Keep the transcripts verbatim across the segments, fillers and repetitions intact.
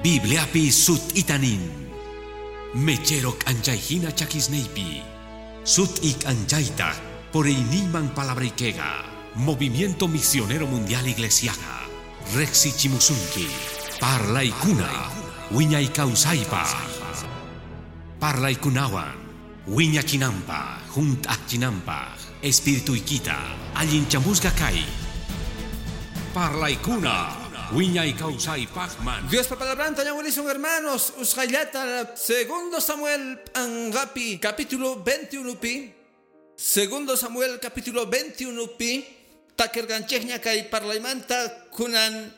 Bibliapi sut'itanin. Mechero k'anchayhina chakisniypi. Sut'i k'anchaytaq puriyniyman palabraykiqa. Movimiento Misionero Mundial Iglesiaqa. Riqsichimusunki. Parlaykuna. Wiñay kawsaypaq. Parlaykunawan. Wiñachinanpaq. Hunt'achinanpaq. Espirituykita. Allinchamusqa kay. Parlaykuna. Wiñay kawsaypaqman. Dios pa palabranta ñawilisun hermanos, usqayllata Segundo Samuel p'anqapi capítulo veintiuno pi. Segundo Samuel capítulo veintiuno pi. Takirqanchikña kay parlaymanta kunan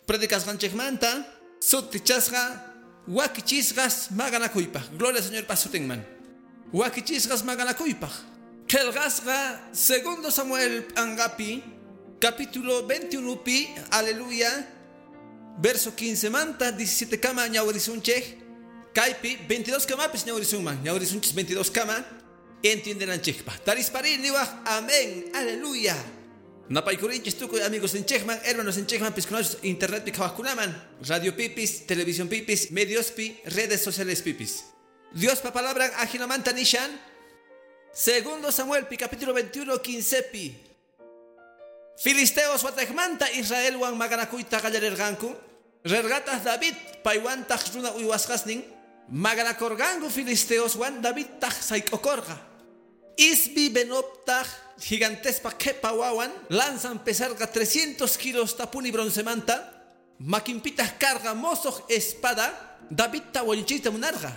predicasqanchikmanta sutichasqa wakichisqas maqanakuypaq. Gloria al Señor pasutinman. Wakichisqas maqanakuypaq. Qillqasqa Segundo Samuel p'anqapi capítulo veintiuno pi, aleluya, verso quince manta, diecisiete kama ñawrisunchej, kaypi veintidós kamapis ñawrisunman, ñawrisunchis veintidós kama, entiendenanchejpa. Tarispari niwaj, amén, aleluya. Napaykurinchis tukuy amigos ninchejman, hermanos ninchejman, piskunachus internet pi qhawajkunaman, radio pipis, televisión pipis, medios pi, redes sociales pipis. Dios pa palabra ajinamanta nishan, Segundo Samuel pi, capítulo veintiuno, quince pi. Filisteos watejmanta Israelwan maqanakuyta qallarerqanku. Rerqataq David paywantaq runa uywasqasnin maqanakurqanku filisteoswan Davidtaq sayk'ukurqa. Isbi Benobtaq gigantespa qhipa wawan lanzan pesarqa trescientos kilos tapuni broncemanta makinpitaq karqa mosoq espada Davidta wañuchiyta munarqa.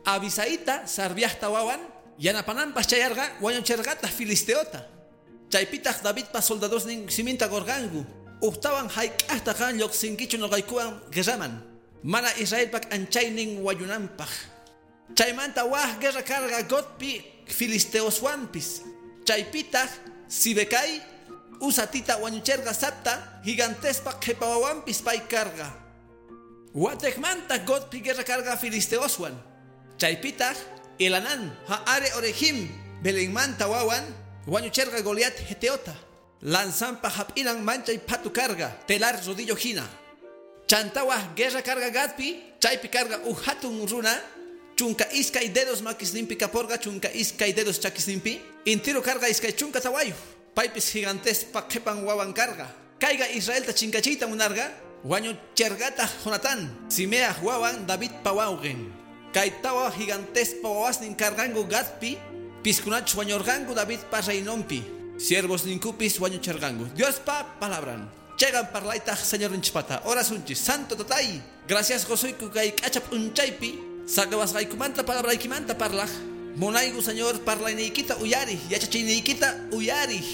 Abisaita Sarviajta wawan yanapananpaq chayarqa wañucherqataq filisteota. Chaypitaq Davidpa soldadosnin siminta qurqanku. Uqtawan hayk'aqta qan lluqsinkichu nuqaykuwan guerraman. Mana Israelpaq anchaynin wañunanpaq. Chaymanta waj guerra karqa Godpi filisteoswanpis. Chaypitaq Sibecai Usatita wañucherqa Sapta gigantespa qhipa wawanpis pay karqa. Watejmanta Godpi guerra karqa filisteoswan. Chaypitaq Elanan Ha'are Orejim Belenmanta wawan wañucherqa Goliat Geteota. Lanzampa hap'inan manchay phatu karga, telar rodillo hina. Chantawaj guerra karga Gatpi, chaypi karga uj hatun runa, chunka iskay dedos makisninpi kaporqa, chunka iskay dedos chakisninpi, intiro karga iskay chunka tawayu. Paypis gigantespa qhipan wawan karga. Kayga Israelta chinkachiyta munarqa, wañucherqataq Jonatán, Simeaj wawan Davidpa wawqin. Kay tawa gigantespa wawasnin karqanku Gatpi, piskunachus wañurqanku Davidpa reinonpi. Siervos ninkupis wañucherqanku. Diospa palabran. Chegan parlaytaq Señor ninchpata. Orasunchis. Santo tatay. Gracias gozuyku kay k'acha p'unchaypi. Saqawasqaykumanta palabraykimanta parlaj. Munayku Señor parlayniykita uyariq, yachachiyniykita uyariq.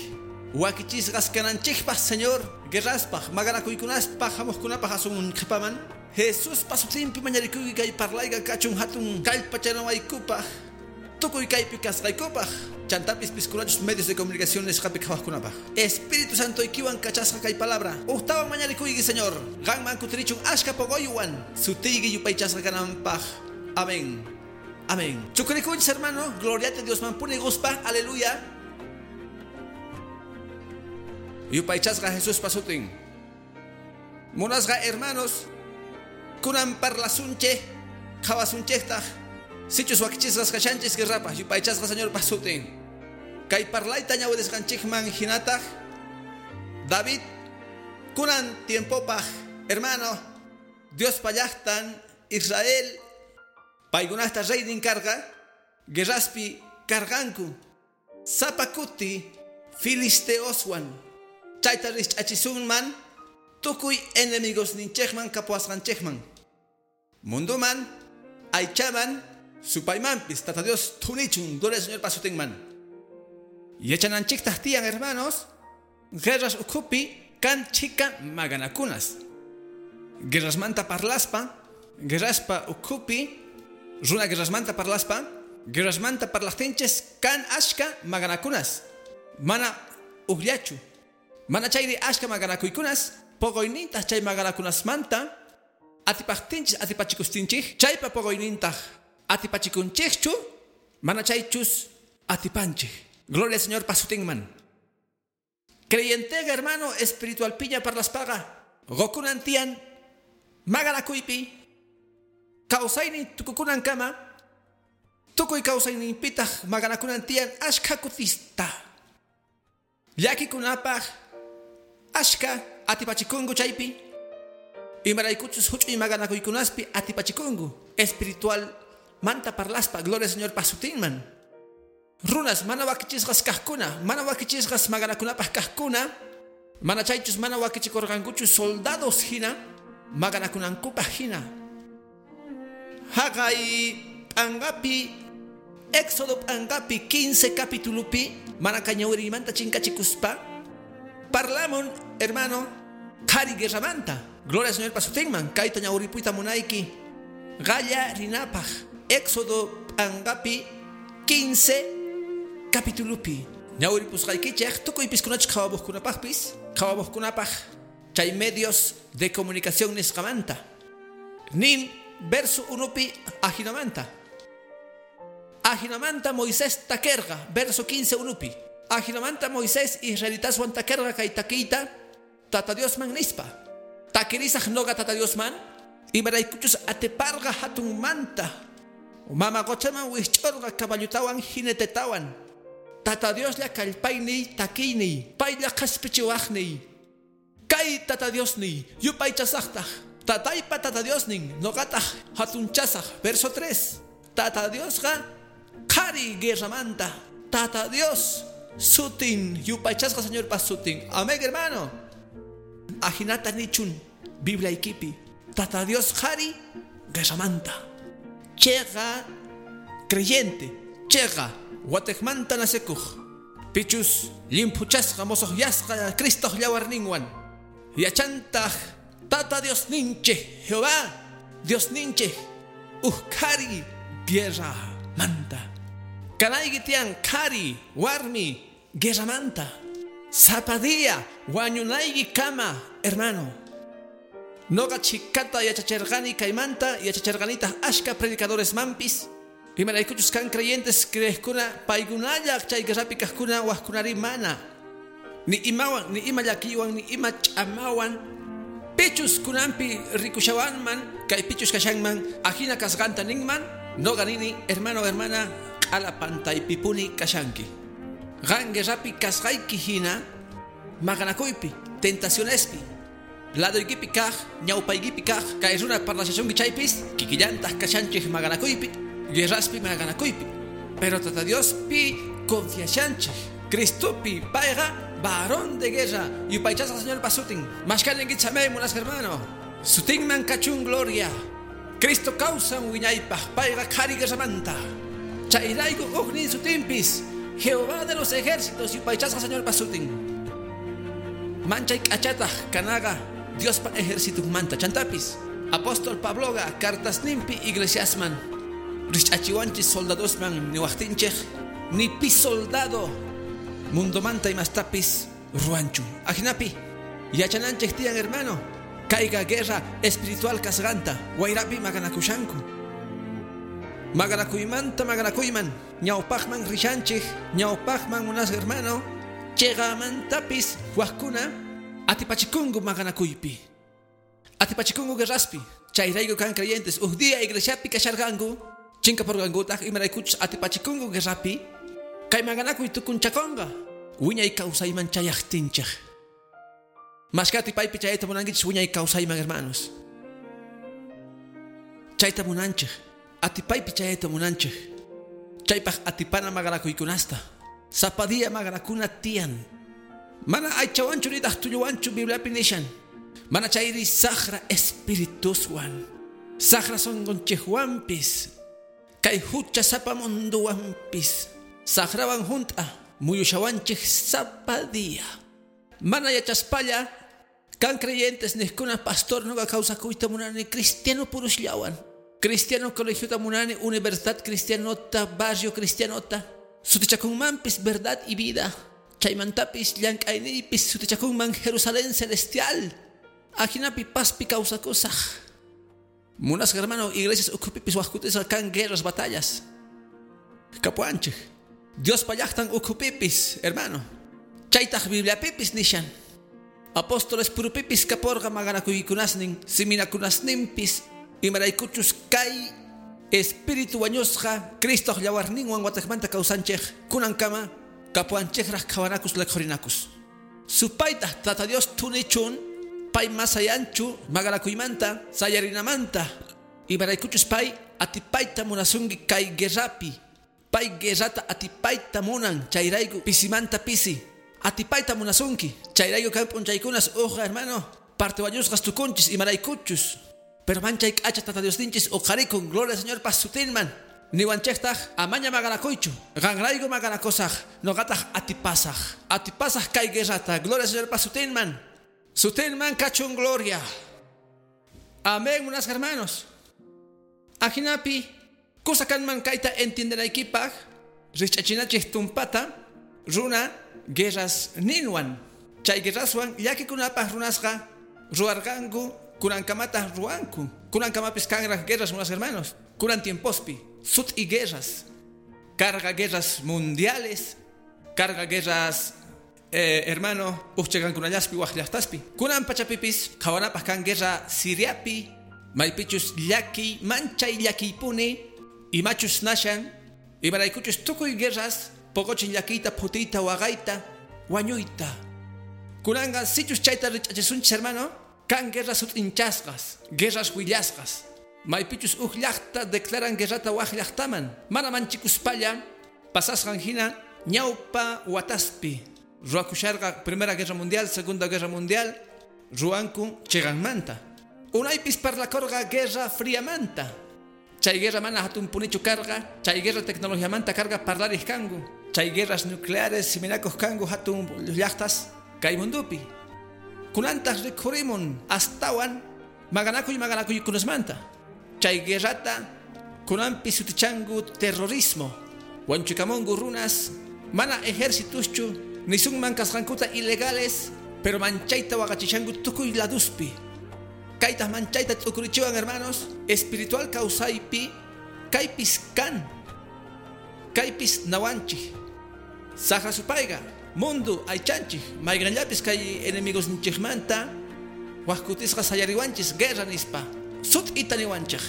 Wakichisqas kananchikpaq Señor, guerraspaq, maqanakuykunaspaq, hamuqkunapaq asun qhipaman. Jesuspa sutinpi mañarikuyki kay parlayqa kachun hatun kallpachanawaykupaq. Tukuy kaypi kasqaykupaq. Chantapis piskunachus medios de comunicación nisqapi qhawaqkunapaq. Espíritu Santo ikiwan kachasqa kay palabra. Uqtawan mañarikuyki Señor. Qanman kutirichun ashka poqoywan. Sutiyki yupaychasqa kananpaq. Amén. Amén. Chukurikunchis hermano. Gloria a Dios manpuni guspa. Aleluya. Yupaychasqa Jesús pasutin. Munasqa hermanos. Kunan parlasunche. Qhawasunchektaq. Sichus wakichisqas kashanchis guerrapaq yupaychasqa Señor pasutin. Kay parlayta ñawidisqanchikman hinataq David kunan tiempopaq hermano Dios llaqtan Israel paykunasta reynin karqa guerraspi karqanku sapa kuti filisteoswan chayta rich'achisunman tukuy enemigos ninchikman kapuwasqanchikman munduman aychaman supaymanpis tata Dios thunichun gloria al Señor pasutinman. Yachananchiktaq tiyan hermanos guerras ukhupi kan chika maqanakunas. Guerrasmanta parlaspa, guerraspa ukhupi, runa guerrasmanta parlaspa, guerrasmanta parlaqtinchis kan ashka maqanakunas. Mana uqllachu. Mana chayri ashka maqanakuykunas, poqoynintaq chay maqanakunasmanta atipaqtinchis atipachikustinchik, chaypa poqoynintaq atipachikunchikchu, mana chaychus atipanchik. Gloria al Señor pasutinman. Creyentega hermano espiritual piña parlaspaga. Gokunan tian Maqanakuypi kawsaynin tukukunankama tukuy kawsayninpitaq maqanakunan tiyan ashka kutista. Llakikunapaq ashka atipachikunku chaypi imaraykuchus huch'uy maqanakuykunaspi atipachikunku espiritual manta parlaspa gloria Señor pasutinman. Runas mana wakichisqas kaqkuna, mana wakichisqas maqanakunapaq kaqkuna, mana chaychus mana wakichikurqankuchu soldados hina maqanakunankupaq hina. Haqay p'anqapi Éxodo p'anqapi quince capitulupi mana kañawiriymanta chinkachikuspa parlamun hermano qhari guerramanta. Gloria al Señor pasutinman kayta ñawripuyta munayki qalla rinapaq Éxodo p'anqapi quince capitulupi ñawripusqaykichej tukuy piskunachus qhawamuqkunapaqpis qhawamuqkunapaq chay medios de comunicación nisqamanta nin verso unupi ajinamanta ajinamanta Moisés takerqa verso quince unupi ajinamanta Moisés israelitaswan takerqa kay takiyta Tata Diosman nispa takirisaq noqa Tata Diosman imaraykuchus atiparqa hatunmanta mama qochaman wisch'urqa caballutawan jinetetawan Tata Dioslla kallpayniy takiyniy paylla qhaspichiwaqniy kay Tata Diosniy yupaychasaqtaq tataypa Tata Diosnin noqataq hatunchasaq verso tres Tata Diosqa qhari guerramanta Tata Dios sutin yupaychasqa Señorpa sutin. Amén hermano. Ajinata nichun Biblia ikipi Tata Dios qhari guerramanta cheqa creyente cheqa watejmanta nasekuj pichus llimphuchasqa mosoqyasqa Cristoq llawarninwan yachantaq Tata Dios ninchej Jehová Dios ninchej uj qhari guerra manta kanayki tiyan qhari warmi guerramanta sapa día wañunayki kama hermano. Noqa chhikata yachacherqani kaymanta yachacherqanitaq ashka predicadores mampis imaraykuchus kan creyentes creejkuna paykunalla chay guerrapi kaqkuna waqkunari mana ni imawan ni ima llakiywan ni ima ch'amawan pichus kunanpi rikushawanman kay pichus kashanman ajina kasqanta ninman noqa nini hermano hermana q'ala pantaypipuni kashanki qan guerrapi kasqayki hina maqanakuypi tentacionespi ladoykipi kaq ñawpaykipi kaq kay runa parlashachunki chaypis kikillantaq kashanchik maqanakuypi guerraspi maqanakuypi pero Tata Diospi confiashanchik Cristopi payqa varón de guerra yupaychasqa Señor pasutin mashkaninkichik amén munasqa hermano sutinman kachun gloria Cristo kawsan wiñaypaq payqa qhari guerramanta chayrayku ujnin sutinpis Jehová de los ejércitos yupaychasqa Señor pasutin manchay k'achataq kanaqa Diospa ejercitunmanta chantapis apóstol Pabloqa cartasninpi iglesiasman rich'achiwanchis soldadosman niwaqtinchej ni pi soldado mundomanta imastapis ruwanchu ajinapi yachananchej tiyan hermano kayqa guerra espiritual kasqanta wayrapi maqanakushanku maqanakuymanta maqanakuyman ñawpaqman rishanchej ñawpaqman munasqa hermano cheqamantapis waqkuna atipachikunku maqanakuypi atipachikunku guerraspi chayrayku kan creyentes uj día iglesiapi kasharqanku chinkapurqankutaq imaraykuchus atipachikunku guerrapi kay maqanakuy tukunchakunqa wiñay kawsayman chayaqtinchej mashka atipaypi chayta munankichis wiñay kawsayman hermanos chayta munanchej atipaypi chayta munanchej chaypaq atipana maqanakuykunasta sapa día maqanakuna tiyan mana aychawanchu nitaq tulluwanchu Bibliapi nishan mana chayri saqra espirituswan saqra sunqunchikwanpis kay hucha sapa munduwanpis saqrawan junt'a muyushawanchik sapa día mana yachaspalla kan creyentes niqkuna pastor noqa kawsakuyta munani cristiano purusllawan cristiano colegiota munani universidad cristianota barrio cristianota sutichakunmanpis verdad y vida chaymantapis llank'ayniypis sutichakunman Jerusalén celestial ajinapi paspi kawsakusaq munasqa hermano iglesias ukhupipis waqkutisqa kan guerras batallas kapuanchik Diospa llaqtan ukhupipis hermano chaytaq Bibliapipis nishan Apóstoles purupipis kaporqa maqanakuykunasnin siminakunasninpis imaraykuchus kay espíritu wañusqa Cristoq llawarninwan wataqmanta kawsanchej kunankama kapuanchejraq qhawanakus leqhurinakus. Supaytaq Tata Dios tunichun pay masayanchu maqanakuymanta sayarinamanta imaraykuchus pay atipayta munasunki kay guerrapi pay guerrata atipayta munan chayrayku pisimanta pisi atipayta munasunki chayrayku kay p'unchaykunas uqa hermano parte wañusqas tukunchis imaraykuchus pero manchay k'acha Tata Diosninchis uqharikun gloria al Señor pasutinman niwanchejtaj amaña maqanakuychu qanrayku maqanakusaj noqataj atipasaj atipasaj kay guerrata gloria al Señor pasutinman sutinman kachun gloria. Amén, munasqa hermanos. Ajinapi kusa kanman kayta entiendenaykipaj rich'achinachej tumpata runa guerras ninwan chay guerraswan llakikunapaj runasqa ruwarqanku kunankamataq ruwanku kunankamapis kanraj guerras munasqa hermanos kunan tiempospi sut'i guerras carga guerras mundiales carga guerras eh, hermano ujchakankunallaspi waj llaqtaspi kunan pachapipis qhawanapaj kan guerra Siriapi maypichus llakiy manchay llakiypuni imachus nashan imaraykuchus tukuy guerras poqochin llakiyta phutiyta waqayta wañuyta kunanqa sichus chayta rich'achisunchis hermano kan guerras sut'inchasqas guerras willasqas maypichus uj llaqta declaran guerrata waj llaqtaman mana manchikuspalla pasasqan hina ñawpa wataspi ruwakusharqa Primera Guerra Mundial, Segunda Guerra Mundial ruwanku chiqanmanta unaypis parlakorqa Guerra Friamanta chay guerra mana hatunpunichu karqa chay guerra tecnologiamanta karqa parlariq kanku chay guerras nucleares siminakuq kanku hatun llaqtas kay mundupi kunantaq rikhurimun astawan maqanakuy maqanakuykunasmanta chay guerrata kunanpi sutichanku terrorismo wanchikamunku runas mana ejércituschu nisunman kasqankuta ilegales pero manchayta waqachishanku tukuy laduspi kaytaq manchayta t'ukurichiwan hermanos espiritual kawsaypi kaypis kan kaypis nawanchik saqra supayqa mundu aychanchik mayqanllapis kay enemigosninchikmanta wajkutisqa sayariwanchis guerra nispa sut'ita niwanchik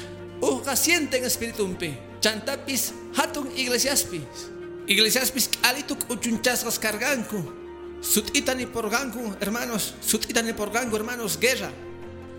uqqa sienten espiritumpi chantapis hatun iglesiaspis iglesiaspis k'alitu k'uchunchasqas karqanku sut'ita niporqanku hermanos sut'ita niporqanku hermanos guerra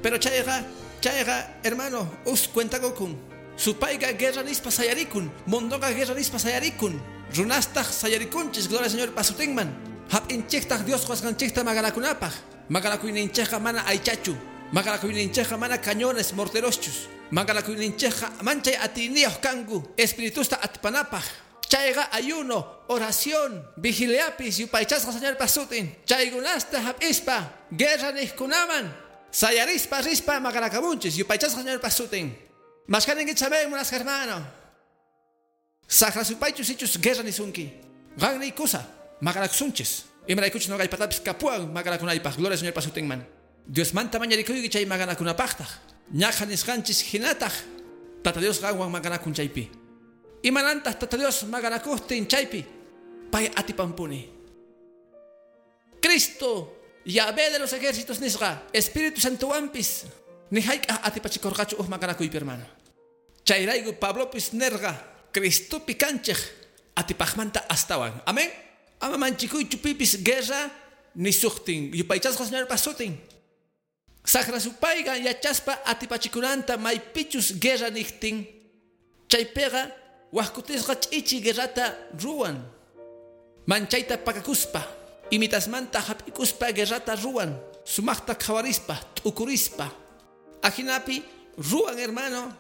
pero chayqa chayqa hermano us cuentakukun supayqa guerra nispa sayarikun munduqa guerra nispa sayarikun runastaq sayarikunchis gloria al Señor pasutinman hap'inchiktaq Dios qusqanchikta maqanakunapaj maqanakuyninchikqa mana aychachu maqanakuyninchikqa mana cañones morteroschus maqanakuyninchikqa manchay atiyniyuq kanku espiritusta atipanapaj chayqa ayuno oración vigiliapis yupaychasqa Señor pasutin chaykunasta hap'ispa guerra niqkunaman sayarispa rispa maqanakamunchis yupaychasqa Señor pasutin mashkaninkichis amén munasqa hermano saqra supaychus ichus guerra nisunki qanniy kusa maqanakusunchis imaraykuchus noqaypatapis kapuwan maqanakunaypaj gloria al Señor pasutinman Diosmanta mañarikuyki chay maqanakunapaqtaq ñaqa nisqanchis hinataq Tata Dios qanwan maqanakun chaypi imanantaq Tata Dios maqanakuqtin chaypi pay atipanpuni Cristo Yahvé de los ejércitos nisqa Espíritu Santowanpis ni hayk'aq atipachikurqachu uj maqanakuypi hermano chayrayku Pablopis nerqa Cristopi kanchej atipajmanta astawan amén ama manchikuychu pipis guerra nisuqtin yupaychasqa Señor pasutin saqra supayqa yachaspa atipachikunanta maypichus guerra niqtin chaypiqa wajkutisqa ch'ichi guerrata ruwan manchayta pakakuspa imitasmanta hap'ikuspa guerrata ruwan sumaqta qhawarispa t'ukurispa ajinapi ruwan hermano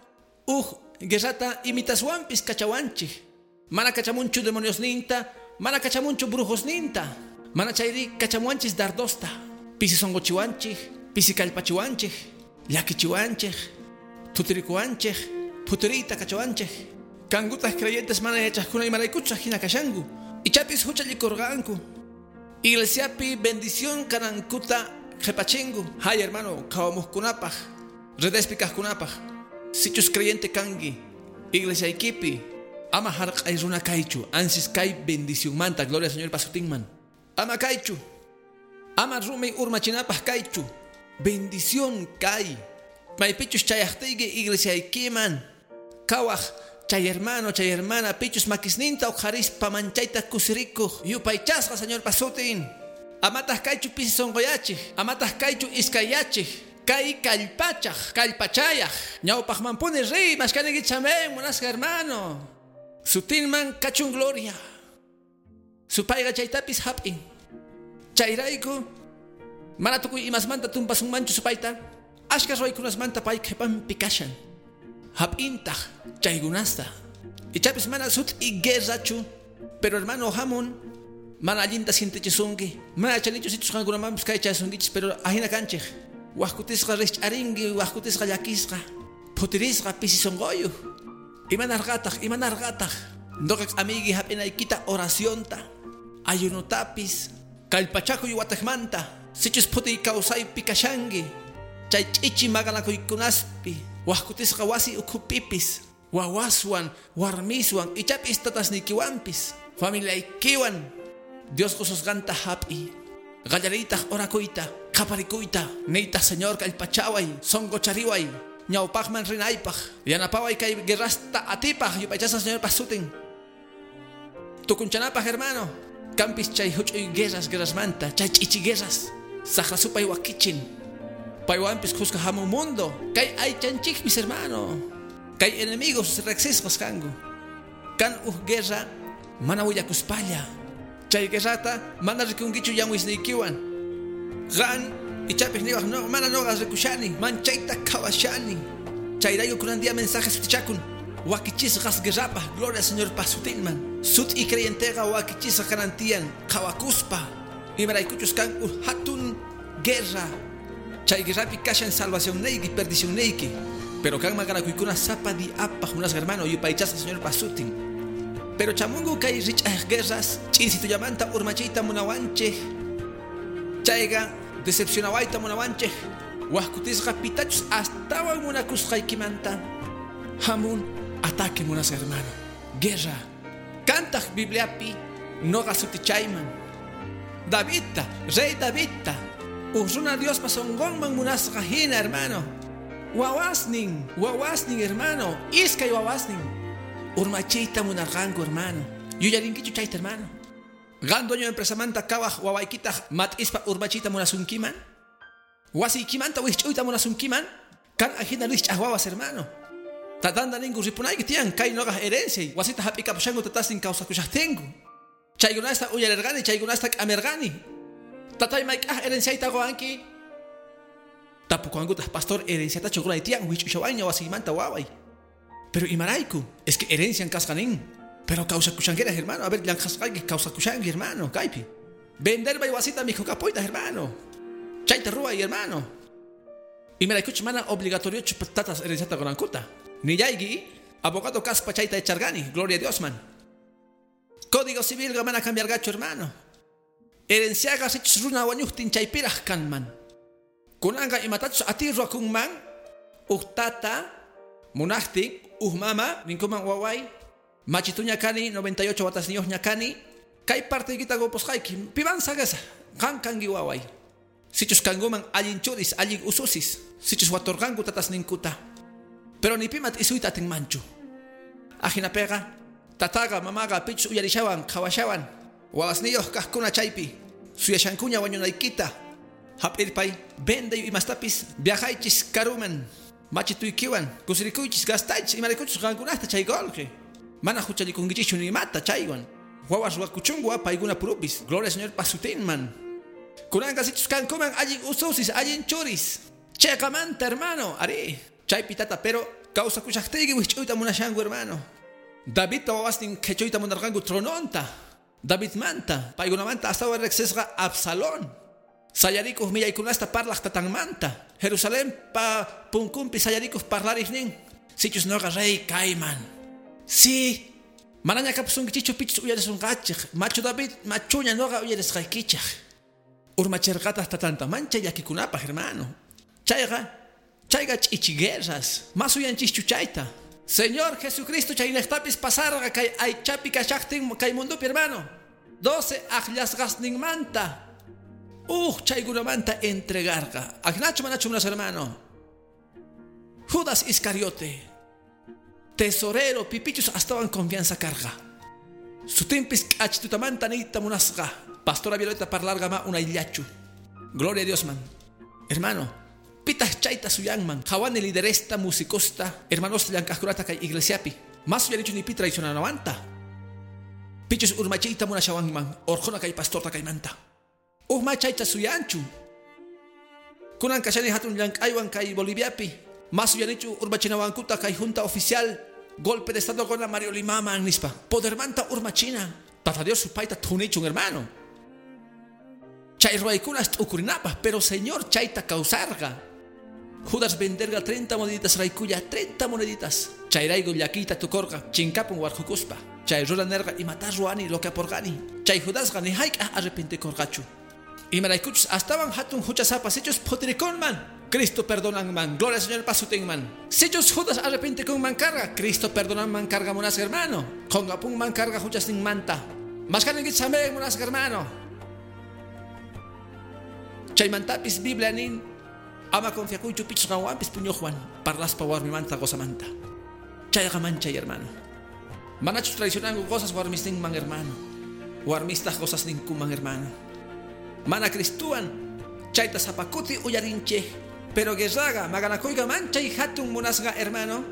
uj guerrata imitaswanpis kachawanchik mana kachamunchu demoniosninta mana kachamunchu brujosninta mana chayri kachamuanchis dardosta pisi sonqochiwanchik pisi kallpachiwanchik llakichiwanchik thutirikuwanchik phutiriyta kachawanchik kankutaq creyentes mana yachaqkuna imaraykuchus ajina kashanku ichapis huchallikurqanku iglesiapi bendición kanankuta qhipachingu hay hermano qhawamuqkunapaj redespi kaqkunapaj sichus creyente kanki iglesiaykipi ama harq'ay runa kaychu ansis kay bendicionmanta gloria al Señor pasutinman ama kaychu Ama rumi urmachinapaq kaychu. Bendición kay. Maypichus chayaqtiyki iglesiaykiman. Kawaq chay hermano, chay hermana, pichus makisninta uqharispa manchayta kusirikuq. Yupaychasqa Señorpa sutin. Amataq kaychu pisi sunquyachik. Amataq kaychu iskayachik. Kay kallpachaq, kallpachayaq. Ñawpaqmanpuni riy, mashkaniykichik amén, munasqa hermano. Sutinman kachun gloria. Supayqa chaytapis hap'in. Chayrayku mana tukuy imasmanta tumpasunmanchu supayta. Ashka ruwaykunasmanta pay qhipanpi kashan. Hap'intaq chaykunasta. Ichapis mana sut'i guerrachu, pero hermano hamun mana allinta sintichisunki. Mana chanichu sichus qankunamanpis kaychasunkichis, pero ahina kanchik. Waqkutisqa rich'arinki, waqkutisqa llakisqa, phutirisqa pisi sunquyuq. Imanarqataq, imanarqataq. Nuqa amigi hap'inaykita oracionta, ayunotapis, kallpachakuy wataqmanta, sichus phutiy kawsaypi kashanki, chay ch'ichi maqanakuykunaspi, waqkutisqa wasi ukhupipis, wawaswan, warmiswan, ichapis tatasniykiwanpis, familiaykiwan, Dios qususqanta hap'i. Qallariytaq orakuyta, qaparikuyta, niytaq Señor kallpachaway, sunquchariway, ñawpaqman rinaypaq, yanapaway kay guerrasta atipaq, yupaychasqa Señorpa sutin. Tukunchanapaq hermano, kampis chay huch'uy guerras guerrasmanta, chay ch'ichi guerras, saqra supay wakichin. Paywanpis khuska hamun mundo, kay aychanchikpis hermano, kay enemigos riqsisqas kanku. Kan uj guerra mana willakuspalla. Chay guerrata mana rikunkichu yanwisniykiwan. Qan ichapis niwaq no, mana noqa rikushani, manchayta qhawashani. Chayrayku kunan día mensajes sutichakun. Wakichisqas guerrapaq, gloria Señorpa sutinman. Sut'i creyenteqa wakichisqa kanan tiyan qhawakuspa. Imaraykuchus kan uj hatun guerra. Chay guerrapi kashan salvacionniyki, perdicionniyki. Pero kan maqanakuykuna sapa diapaq munasqa hermano, yupaychasqa Señorpa sutin. Pero chamungu kay rich'aq guerras, ch'insitullamanta urmachiyta munawanchik. Chayqa decepcionawayta munawanchik. Waqkutisqa pitachus astawan munakusqaykimanta. Hamun ataque munasqa hermano. Guerra. Kantaq Bibliapi noqa sutichayman. Davidta, rey Davidta. Uj runa Diospa sunqunman munasqa hina hermano. Wawasnin, wawasnin hermano, iskay wawasnin. Urmachiyta munarqanku hermano. Yuyarinkichu chayta hermano. Qan dueño empresamanta kawaq wawaykitaq mat'ispa urmachiyta munasunkiman. Wasiykimanta wijch'uyta munasunkiman. Kan ajina rich'aq wawas hermano. Tatanta ninku ripunayki tiyan kay noqaj herenciay. Wasita hap'ikapushanku tatasnin kawsakushaqtinku. Chaykunasta uyarirqani, chaykunasta k'amirqani. Tatay mayk'aj herenciayta quwanki. Tapukuwankutaq pastor herenciatachu qunay tiyan wijch'ushawanña wasiymanta waway. Pero imarayku, es que herencian kasqa nin. Pero kawsakushankiras hermano, a ver llanqasqayki kawsakushanki hermano, kaypi. Venderbay wasita mikhukapuyta hermano. Chayta ruway hermano. Imaraykuchu mana obligatoriochu tatas herenciata qunankuta. Nillayki, abogado kaspa chayta echargani, gloria a Dios man. Código civil mana cambiargachu hermano. Herenciaqa sichus runa wañuqtin chaypiraq kanman. Kunanqa imatachus atiy ruwakunman, uj tata munaqtin, uj mama ninkuman waway, machituña kani, noventa y ocho watasniyuqña kani, kay parteykita qupusqayki, piman saqesaq, qan kanki waway. Sichus kankuman allin churis, allin ususis, sichus waturqanku tatasninkuta. Pero ni pimat isuyta atinmanchu. Ajinapiqa, tataqa, mamaqa, pichus uyarishawan, qhawashawan, wawasniyuq kaqkuna chaypi, suyashankuña wañunaykita. Hap'irpay, vendeyu imastapis, viajaychis karuman, machituykiwan, kusirikuychis, gastaychis, imaraykuchus qankunasta chay qolqe. Mana huchallikunkichikchu ni imata chaywan. Wawas ruwakuchunku paykuna purupis, gloria Señorpa sutinman. Kunanqa sichus kankuman allin ususis, allin churis. Cheqamanta hermano, ari. Chaypi tata, pero kawsakushaqtiyki wijch'uyta munashanku hermano. Davidta wawasnin qhichuyta munarqanku trononta. Davidmanta, paykunamanta astawan riqsisqa Absalón. Sayarikuq millaykunasta parlaq tatanmanta. Jerusalenpa punkunpi sayarikuq parlariqnin. Sichus noqa rey kayman. Si, manaña kapusunkichikchu pichus uyarisunqachik. Machu David, machuña noqa uyarisqaykichik. Urmachirqataq tatanta mancha llakikunapaq hermano. Chayqa, chayqa ch'ichi guerras. Mas uyanchikchu chayta. Señor Jesucristo chaynejtapis pasarqa kay aychapi kashaqtin kay mundupi hermano. Doce aqllasqasninmanta. Uj chaykunamanta entregarqa. Ajinachu manachu munas hermano. Judas Iscariote, tesorero pipichus astawan confianza carga. Sutimpis k'achitutamanta niyta munasqa. Pastora Violeta parlarga ma unayllachu. Gloria a Dios man. Hermano, pitas chayta suyanman. Jawani lideresta, musicosta, hermanos llank'ajkunata kay iglesiapi. Mas suyanichu ni pi traicionanawanta. Pichus urmachiyta munashawanman. Orjona kay pastorta kaymanta. Uj ma chayta suyanchu. Kunan kashani hatun llank'aywan kay Boliviapi. Mas suyanichu urmachinawankuta kay junta oficial. Golpe de estado con la Mario Limaman nispa. Podermanta urmachina. Tata Dios supayta thunichun hermano. Chay ruwaykunas t'ukurinapaj, pero Señor chayta kawsarqa. Judas venderga treinta moneditas raykulla, treinta moneditas. Chayrayku llakiyta tukorqa, chinkapun warqukuspa. Chay runa nerqa imata ruwani lo que aporqani. Chay Judasqa ni hayk'aj arrepentikorqachu. Imaraykuchus astawan hatun huchasapa sichus phutirikunman, Cristo perdonanman. Gloria al Señor pasutinman. Sichus Judas arrepentikunman karqa, Cristo perdonanman karqa munasqa hermano. Qonqapunman karqa huchasninmanta. Mashkaninkichis amén munasqa hermano. Chaymantapis Biblia nin ama confiakuychu pichus qanwanpis puñuqwan parlaspa warmimanta qosamanta. Chayqa manchay hermano. Manachus traicionanku qosas warmisninman hermano. Warmistaq qosasninkuman hermano. Mana Cristuwan chayta sapakuti uyarinchej. Pero guerraga maqanakuyqa manchay hatun munasqa hermano.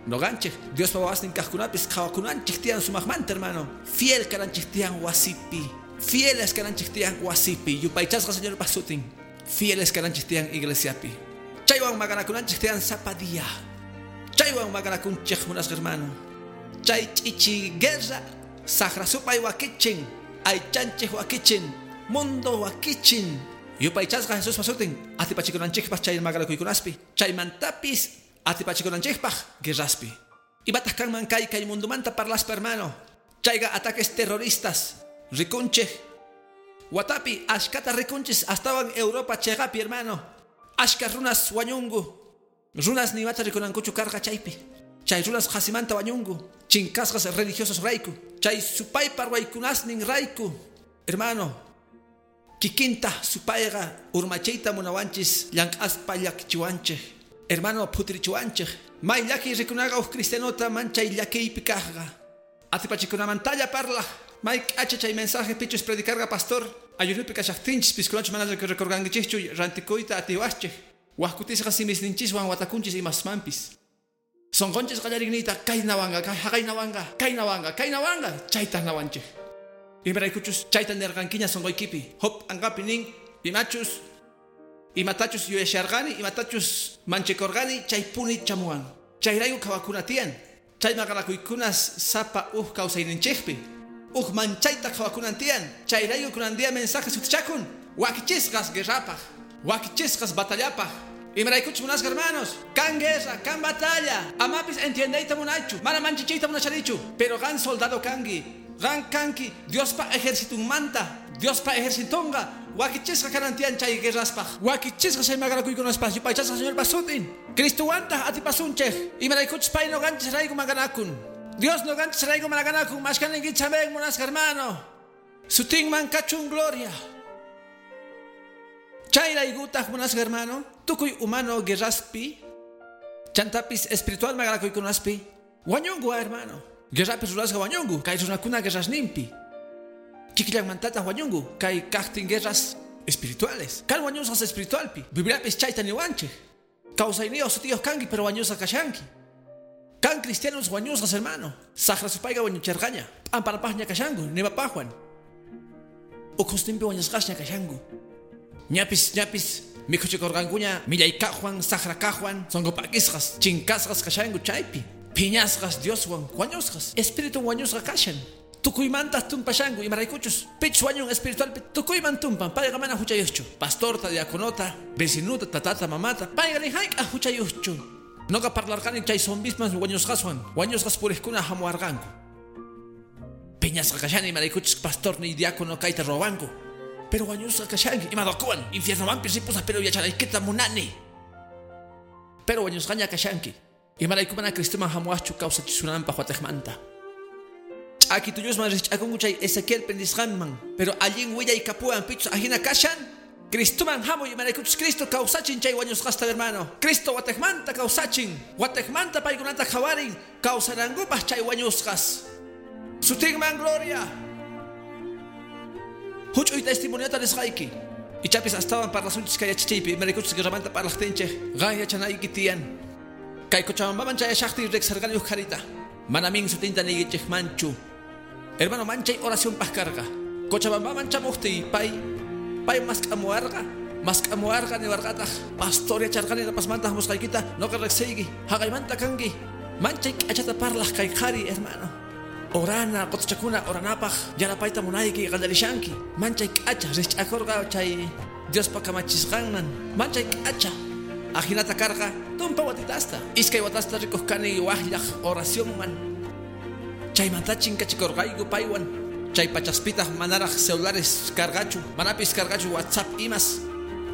Noqanchej Diospa wawasnin kaqkunapis qhawakunanchej tiyan sumaqmanta hermano. Fiel kananchej tiyan wasipi. Fieles kananchej tiyan wasipi. Yupaychasqa Señor pasutin. Fieles kananchej tiyan iglesiapi. Chaywan maqanakunanchej tiyan sapa día. Chaywan maqanakunchej munasqa hermano. Chay ch'ichi guerra saqra supay wakichin. Aychanchej wakichin. Mundo wakichin. Yupaychasqa Jesús pasutin. Atipachikunanchejpaj chay maqanakuykunaspi. Chaymantapis atipachikunanchejpaj guerraspi. Imataq kanman kay kay mundumanta parlaspa hermano. Chayqa ataques terroristas. Rikunchej. Watapi ashkata rikunchis astawan Europa cheqapi hermano. Ashka runas wañunku. Runas nimata rikunankuchu karqa chaypi. Chay runas qasimanta wañunku. Chinkasqas religiosos rayku. Chay supaypa ruwaykunasnin rayku. Hermano, kikinta supayqa urmachiyta munawanchis llank'aspa llakichiwanchej. Hermano, phutirichiwanchej. May llakiy rikunaqa uj cristianota manchay llakiypi kaqqa. Atipachikunamantalla parlaj. May k'acha chay mensaje pichus predicarga pastor. Ayunupi kashaqtinchis piskunachu mana recorgankichikchu rantikuyta atiwachej. Wajkutisqa simisninchiswan watakunchis imasmanpis. Sonqonchis qallariyniyta kaynawanqa, haqaynawanqa, kaynawanqa, kaynawanqa, chayta nawanchej. Imaraykuchus chayta nirqankiña sonqoykipi. Hop anqapi nin imachus imatachus yuyasharqani, imatachus manchikorqani chaypuni chamuwan. Chayrayku qhawakuna tiyan. Chay maqanakuykunas sapa uj kawsayninchikpi. Uj manchayta qhawakunan tiyan. Chayrayku kunan día mensaje sutichakun. Wakichisqas guerrapaj, wakichisqas batallapaj. Imaraykuchus munasqa hermanos, kan guerra, kan batalla. Amapis entiendeyta munaychu, mana manchichiyta munashanichu, pero qan soldado kanki. Qan kanki Diospa ejercitunmanta, Diospa ejercitonqa wakichisqa kanan tiyan chay guerraspaj. Wakichisqa chay maqanakuykunaspaj, yupaychasqa Señor pasutin. Cristuwantaq atipasunchej. Imaraykuchus pay noqanchis rayku maqanakun. Dios noqanchis rayku maqanakun. Mashkaninkichis amén munasqa hermano. Sutinman kachun gloria. Chayraykutaq munasqa hermano, tukuy humano guerraspi, chantapis espiritual maqanakuykunaspi, wañunku hermano. Guerrapis rurasqa wañunku, kay runakuna guerrasninpi. Kikillanmantataq wañunku, kay kaqtin guerras espirituales. Kan wañusqas espiritualpi. Bibliapis chayta niwanchej. Kawsayniyuq sutiyuq kanki, pero wañusqa kashanki. Kan cristianos wañusqas hermano. Saqra supayqa wañucherqaña. P'amparapaqña kashanku, nimapaqwan. Ukhusninpi wañusqasña kashanku. Ñapis, ñapis, mikhuchikurqankuña, millay kaqwan, saqra kaqwan, sonqop'akisqas, chinkasqas kashanku chaypi. Phiñasqas Dioswan, wañusqas, espíritu wañusqa kashan. Tukuymantaq tumpashanku, imaraykuchus, pichus wañun espiritualpi, tukuyman tumpan, payqa mana huchayuqchu. Pastorta, diaconota, vecinuta, tatata, mamata, payqa ni hayk'aq huchayuqchu. Noqa parlarqani chay zombisman wañusqaswan, wañusqas puriqkuna hamuwarqanku. Phiñasqa kashani imaraykuchus pastor ni diácono kayta ruwawanku. Pero wañusqa kashanki, imadokuwan, infiernomanpis ripusaq, pero yachanaykita munani. Pero wañusqaña kashanki. Imarayku mana Cristoman hamuwaqchu kawsachisunanpaq watejmanta. Ch'aki tuyusman rich'akunku chay Ezequiel pendisqanman, pero allin willay kapuwan pichus ajina kashan. Cristoman hamuy imaraykuchus Cristo kawsachin chay wañusqasta hermano. Cristo watekmanta kawsachin, watekmanta paykunata qhawarin kawsanankupaq chay wañusqas. Sutinman gloria. Huch'uy testimoniota nisqayki. Ichapis astawan parlasunchis kay yachachiypi imaraykuchus guerramanta parlaqtinchik qan yachanayki tiyan. Kay Cochabambaman chayashaqtin riqsarqani uj qharita. Manamin sutinta niykichikmanchu. Hermano, manchay oracionpaq karqa. Cochabambaman chamuqtiy pay pay mask'amuwarqa, mask'amuwarqa niwarqataq pastor yacharqani rapasmanta hamusqaykita noqa riqsiyki, haqaymanta kanki. Manchay k'achata parlaq kay qhari hermano. Orana, qotuchakuna oranapaq yanapayta munayki qallarishanki. Manchay k'acha riqch'akurqa chay Diospa kamachisqanman. Manchay k'acha. Ajinata karqa tumpa watitasta. Iskay watasta rikuqkani waqllaq oracionman. Chaymanta chinkachikurqayku paywan. Chay pachaspitaq manaraq celulares karqachu, manapis karqachu WhatsApp imas.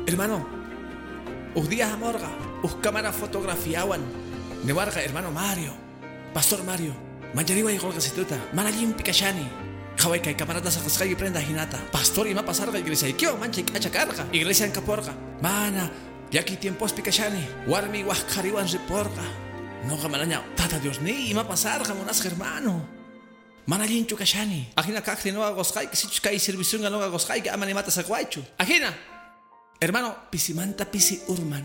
Hermano, uj día hamorqa, uj cámara fotografiawan. Niwarqa hermano Mario, Pastor Mario, manchariway qolqasituta, mana allinpi kashani. Qhaway kay camarata saqasqayki prenda hinata. Pastor ima pasarqa iglesiaykiwan manchay k'acha karqa, iglesian kaporqa. Mana llaki tiempospi kashani, warmi waq qhariwan riporqa. Noqa manaña tata Dios ni ima pasarqa munasqa hermano. Mana allinchu kashani. Ajina kaqti noqa qosqayki, sichus kay servicionqa noqa qosqayki ama nimata saqwaychu. Ajina. Hermano, pisimanta pisi urman.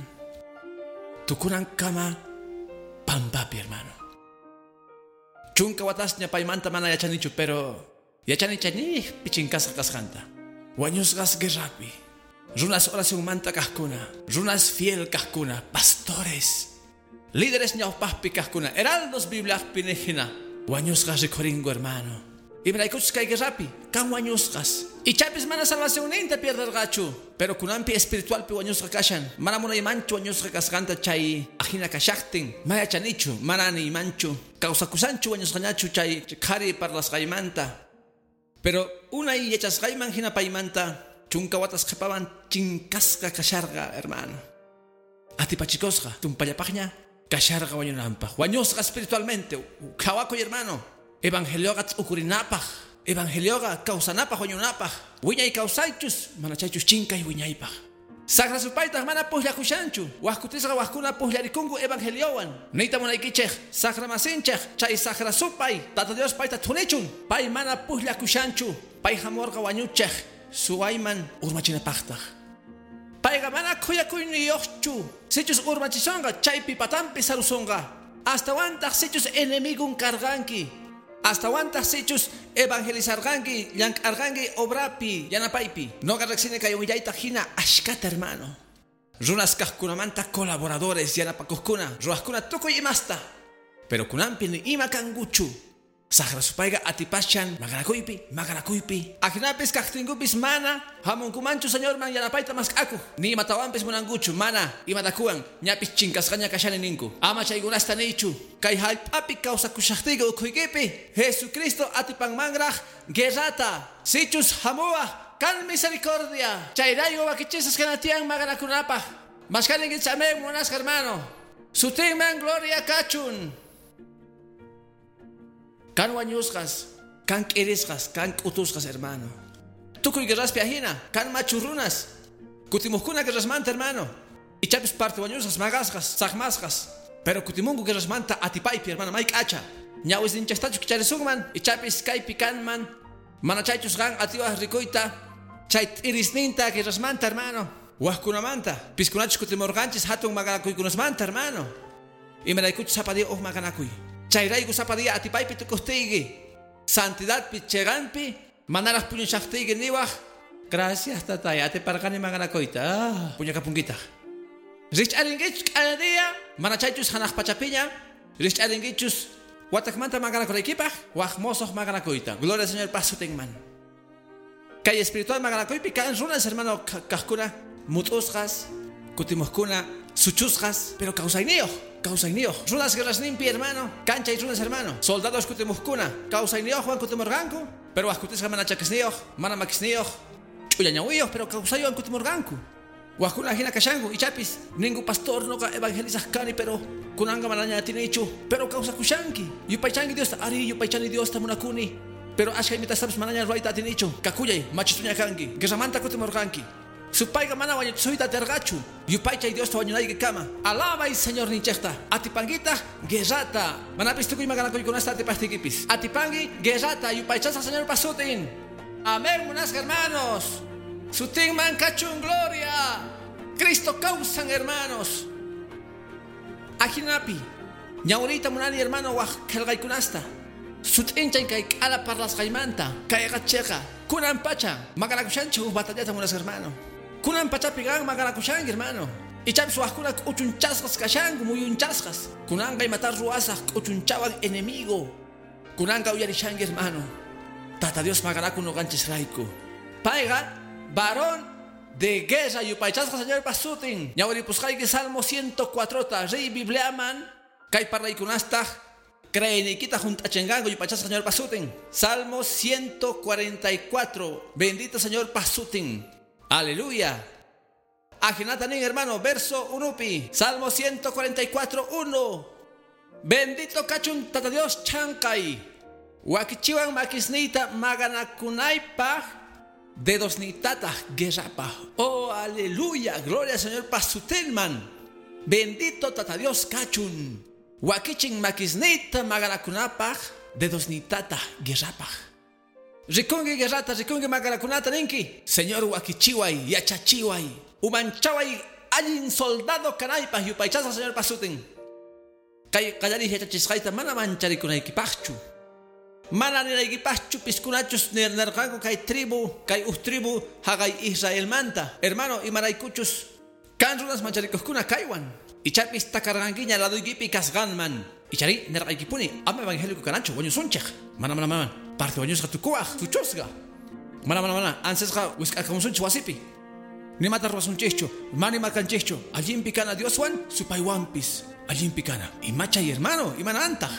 Tukunan kama pampapi, hermano. Chunka watasña paymanta mana yachanichu, pero yachani chani pichinkasqa kasqanta. Wañusqas guerrapi. Runas oracionmanta kaqkuna, runas fiel kaqkuna, pastores, líderes ñawpaqpi kaqkuna, heraldos bibliaqpi nijina. Wañusqas rikhuringu hermano. Imaraykuchus kay guerrapi, kan wañusqas. Ichapis mana salvacionninta pierderqachu, pero kunanpi espiritualpi wañusqa kashan. Mana munaymanchu wañusqa kasqanta chay ajina kashaqtin. Mana yachanichu, mana niymanchu. Kawsakusanchu wañusqañachu chay qhari parlasqaymanta. Pero unay yachasqayman hina paymanta chunka watas qhipawan chinkasqa kasharqa hermano. Atipachikosqa tumpallapaqña kasharqa wañunanpaq. Wañusqa espiritualmente. Qhawakuy hermano. Evangelioqa t'ukurinapaq. Evangelioqa kawsanapaq wañunapaq. Wiñay kawsaychus mana chaychus chinkay wiñaypaq. Saqra supaytaq mana puqllakushanchu. Waqkutisqa waqkuna puqllarikunku evangeliowan. Niyta munaykichik saqra masinchik chay saqra supay Tata Dios payta thunichun. Pay mana puqllakushanchu. Pay hamurqa wañuchik suwayman urmachinapaqtaq. Payqa mana khuyakuyniyuqchu. Sichus urmachisonqa chaypi patampi sarusonqa. Astawantaq sichus enemigun karqanki. Astawantaq sichus evangelizarqanki, llank'arqanki obrapi, yanapaypi. Noqa riqsini kay willayta hina ashkata hermano. Runas kaqkunamanta colaboradores yanapakuqkuna, ruwaqkuna tukuy imasta. Pero kunanpi ni ima kankuchu. Saqra supayqa atipashan maqanakuypi, maqanakuypi. Ajinapis kaqtinkupis mana hamunkumanchu Señorman yanapayta mask'akuq. Ni imatawanpis munankuchu, mana imatakuwan ñapis chinkasqaña kashani ninku. Ama chaykunasta niychu. Kay hallp'api kawsakushaqtiyki ukhuykipi Jesucristo atipanmanraq guerrata. Sichus hamuwaq kan misericordia. Chayrayku wakichisqas kanatiyan maqanakunapaq. Mashkaninkichis amén munasqa hermano. Sutinman gloria kachun. Kan wañusqas, kan k'irisqas, kan k'utusqas hermano. Tukuy guerraspi ajina, kan machurrunas. Kutimuqkuna guerrasmanta hermano. Ichapis parte wañusqas, maqasqas, saqmasqas. Pero kutimunku guerrasmanta atipaypi hermano, may k'acha. Ñawisninchaqtachu kicharisunman, ichapis kaypi kanman. Mana chaychus qan atiwaq rikuyta, chay t'irisninta guerrasmanta hermano. Waqkunamanta, piskunachus kutimurqanchis hatun maqanakuykunasmanta hermano. Imaraykuchus sapa día uj maqanakuy. Chayrayku sapa día atipaypi tukuqtiyki. Santidadpi cheganpi manaraq puñushaqtiyki niwaq. Gracias tatay, atiparqani maqanakuyta. Ah, puñakapunkitaq. Rich'arinkichus k'aya día, mana chaychus hanaq pachapiña. Rich'arinkichus watakmanta maqanakunaykipaq, waq mosoq maqanakuyta. Gloria al Señor pasutinman. Kay espiritual maqanakuypi kan runas hermano kaqkuna mut'usqas, kutimuqkuna suchusqas, pero kawsayniyuq. Kawsayniyuq. Runas guerrasninpi hermano, kanchay runas hermano. Soldados kutimuqkuna, kawsayniyuqwan kutimurqanku, pero waqkutisqa mana chakisniyuq, mana makisniyuq, ch'ullañawiyuq, pero kawsaywan kutimurqanku. Waqkuna hina kashanku, ichapis ninku pastor noqa evangelizaq kani, pero kunanqa manaña atinichu, pero kawsakushanki. Yupaychanki Diosta, ari yupaychani Diosta munakuni. Pero ashka imitastapis manaña ruwayta atinichu. Kakuyay, machituña kanki, guerramanta kutimurqanki. Supayqa mana wañuchisuyta atirqachu. Yupaychay Diosta wañunaykikama. Alabay Señor ninchejta. Atipankitaq guerrata. Manapis tukuy maqanakuykunasta atipajtiykipis. Atipanki guerrata yupaychasqa Señorpa sutin. Amén, munasqa hermanos. Sutinman kachun gloria. Cristo kawsan, hermanos. Ajinapi. Ñawriyta munani hermano waj qillqaykunasta. Sut'inchay kay k'ala parlasqaymanta. Kayqa chiqa. Kunan pacha maqanakushanchik huk batallata munasqa hermano. Kunan pachapi qan maqanakushanki hermano. Ichapis wajkuna k'uchunchasqas kashanku muyunchasqas. Kunanqa imata ruwasaq k'uchunchawan enemigo. Kunanqa uyarishanki hermano. Tata Dios maqanakun nuqanchisrayku. Payqa varón de guerra yupaychasqa Señorpa sutin. Ñawripusqayki Salmo ciento cuatro ta riy Bibliaman kay parlaykunastaq creeyniykita junt'achinqanku yupaychasqa Señorpa sutin. Salmo ciento cuarenta y cuatro. Bendito Señorpa sutin. Aleluya. Ajinata nin hermano, verso unupi. Salmo ciento cuarenta y cuatro, uno. Bendito kachun Tata Dios chankay. Wakichiwan makisniyta maqanakunaypaq dedosnitataq guerrapaq. Oh, aleluya. Gloria al Señor pasutinman. Bendito Tata Dios kachun. Wakichin makisniyta maqanakunapaq dedosnitataq guerrapaq. Rikunki guerrata, rikunki maqanakunata ninki. Señor wakichiway, yachachiway. Umanchaway allin soldado kanaypaq yupaychasqa Señor pasutin. Kay qallariy yachachisqayta mana mancharikunaykipaqchu. Mana ninaykipaqchu piskunachus nerqanku kay tribu, kay uj tribu haqay Israelmanta. Hermano, imaraykuchus kan runas mancharikuqkuna kaywan. Ichapis takarqankiña laduykipi kasqanman. Ichari nerqaykipuni ama evangélico kananchu wañusunchik. Mana mana mana parte wañusqa tukuwaq tuchusqa. Mana mana mana ansesqa wisk'akamusunchik wasipi. Nimata ruwasunchikchu, mana imakanchikchu. Allinpi kana Dioswan supaywanpis. Allinpi kana. Imachay hermano, imanantaq.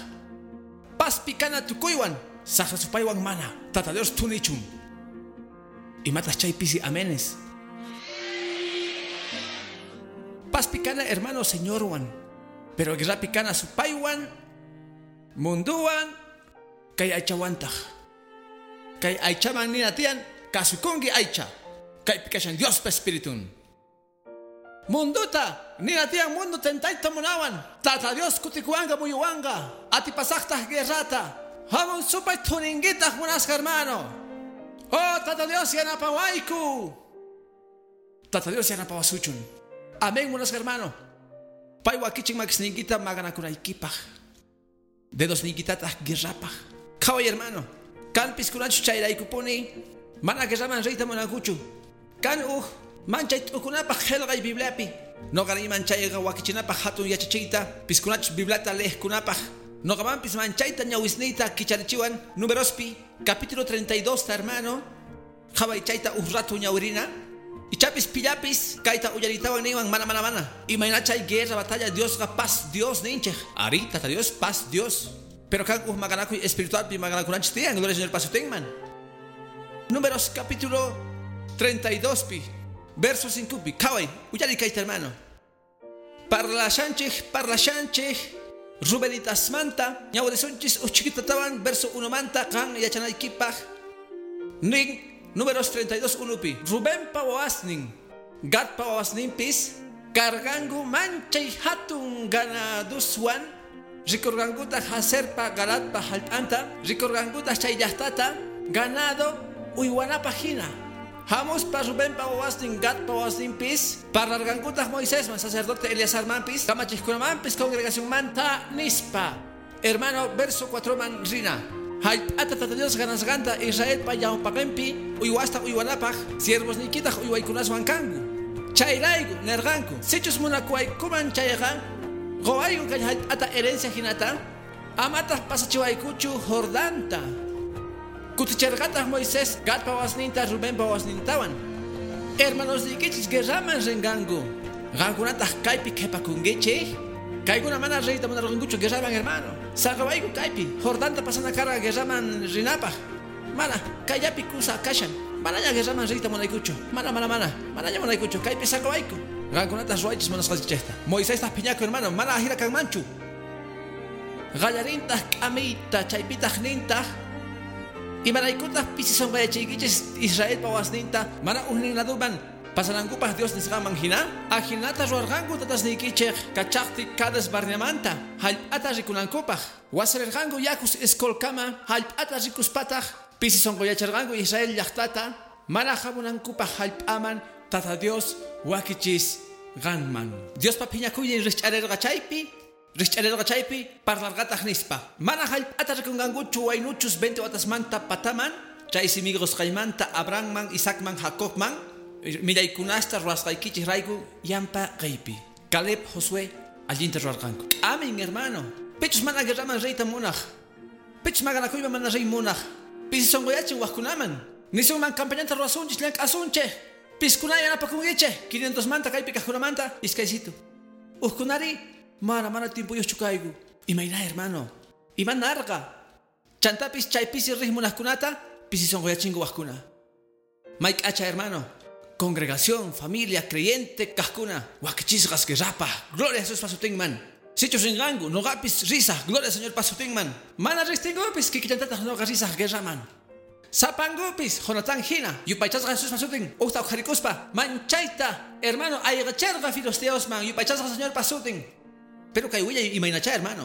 Paspi kana tukuywan, saqra supaywan mana. Tata Dios tunichun. Imatas chay pisi amenes. Paspi kana hermano Señorwan. Pero guerrapi kana supaywan, munduwan, kay aychawantaq. Kay aychaman nina tiyan, kasukunki aycha. Kay pikashan Diospa espiritun. Munduta, nina tiyan mundo tentayta munawan. Tata Dios kutikuwanqa muyuwanqa. Atipasaqtaq guerrata. Hamun supay tuninguitaq munasqa hermano. Oh, Tata Dios yanapawayku. Tata Dios yanapawasuchun. Amén, munasqa hermano. Pay wakichin makisniykita maqanakunaykipaq. Dedosniykitataq guerrapaq. Qhaway hermano. Kan piskunachu chayraykupuni. Mana guerraman riyta munankuchu. Kan uj manchay t'ukunapaq qillqay Bibliapi. Noqari manchayqa wakichinapaq hatun yachachiyta. Piskunachus Bibliata leejkunapaq. Noqamanpis manchayta ñawisniyta kicharichiwan. Numerospi, capítulo treinta y dos, hermano. Qhaway chayta uj ratu ñawirina. Ichapis pillapis kayta uyaritawan niwan mana mana mana. Imaynachay guerra batalla Diosqa paz Dios ninchej. Ari Tata Dios paz Dios. Pero kan uj maqanakuy espiritualpi maqanakunanchis tiyan. Gloria al Señor pasutinman. Números capítulo treinta y dos pi, verso cinco pi. Qhaway, uyari kayta hermano. Parlashanchej, parlashanchej, Rubenitasmanta, ñawrisunchis uchikitatawan, verso uno manta, kan yachanaykipaq. Nin, Números treinta y dos, uno pi. Rubén wawasnin, Gadpa wawasninpis, kargangu manchay hatun ganaduswan, rikurqankuta Jaserpa Galadpa jallp'anta, rikurqankuta chay llaqtata, ganado uywanapaq hina. Hamuspa Rubenpa wawasnin, Gadpa wawasninpis, parlarqankutaq Moisesman, sacerdote Eleazarmanpis, kamachiqkunamanpis, congregacionmanta nispa. Hermano, verso cuatro man rina. Jallp'ata Tata Dios ganasqanta Israelpa ñawpaqinpi uywasta uywanapaq siervosniykitaq uywaykunaswan kanku. Chayrayku nerqanku, sichus munakuwaykuman chayqa quwayku kay jallp'ata herencia hinata, amataq pasachiwaykuchu Jordanta. Kuticherqataq Moisés Gadpa wawasninta Rubenpa wawasnintawan. Hermanosniykichis guerraman rinqanku. Qankunataq kaypi qhipakunkichik. Kaykuna mana riyta munarqankuchu guerraman hermano. Saqawayku kaypi Jordanta pasana karqa guerraman rinapaq. Mana kayllapi kusa kashan. Manaña guerraman riyta munaykuchu. Mana mana mana. Manaña munaykuchu. Kaypi saqawayku. Qankunataq ruwaychis munasqaykichikta. Moisestaq phiñaku hermano. Mana ajina kanmanchu. Qallarintaq k'amiyta chaypitaq nintaq. Imaraykutaq pisisonqayachiykichis Israelpa wawasninta mana ujnin laduman Pasanankupaq Dios nisqanman hina ajinata ruwarqanku tatasniykichej kachaqti Cades Barneamanta hallp'ata rikunankupaq wasirqanku yakus Escolkama hallp'ata rikuspataq pisi sonqoyacharqanku Israel llaqtata mana hamunankupaq hallp'aman Tata Dios wakichis ganman Diospa phiñakuynin rikch'arirqa chaypi rikch'arirqa chaypi parlarqataq nispa mana hallp'ata rikunqankuchu waynuchus veinte watasmanta pataman chay simigosqaymanta Abrahamman Isaacman Jacobman millaykunasta ruwasqaykichik rayku yampa qaypi Caleb Josué allinta ruwarqanku. Amen, hermano. Pichus mana guerraman riyta munaq, pichus maqanakuyman mana riy munaq, pisi sonqoyachin waqkunaman nisunman campañanta ruwasunchik llank'asunchik piskuna yanapakunkichik quinientos manta kaypi kaqkunamanta iskaysitu uqkunari mana mana tiempuyuqchu kayku. Imayna, hermano, imanarqa chantapis chaypisi riq munaqkunata pisi sonqoyachinku waqkuna. Mayk'acha, hermano, congregación, familia, creyente, kaqkuna, wakichisqas guerrapa, gloria a Jesús pasutinman. Sichus rinqanku, noqapis risaq, gloria al Señor pasutinman. Mana riqtinkupis kikillantataq noqa risaq guerraman. Sapankupis, Jonatán hina, yupaychasqa Jesús pasutin, uqta uqharikuspa, manchayta, hermano, ayqacherqa filisteosman, yupaychasqa Señor pasutin. Pero kay willay imaynacha, hermano.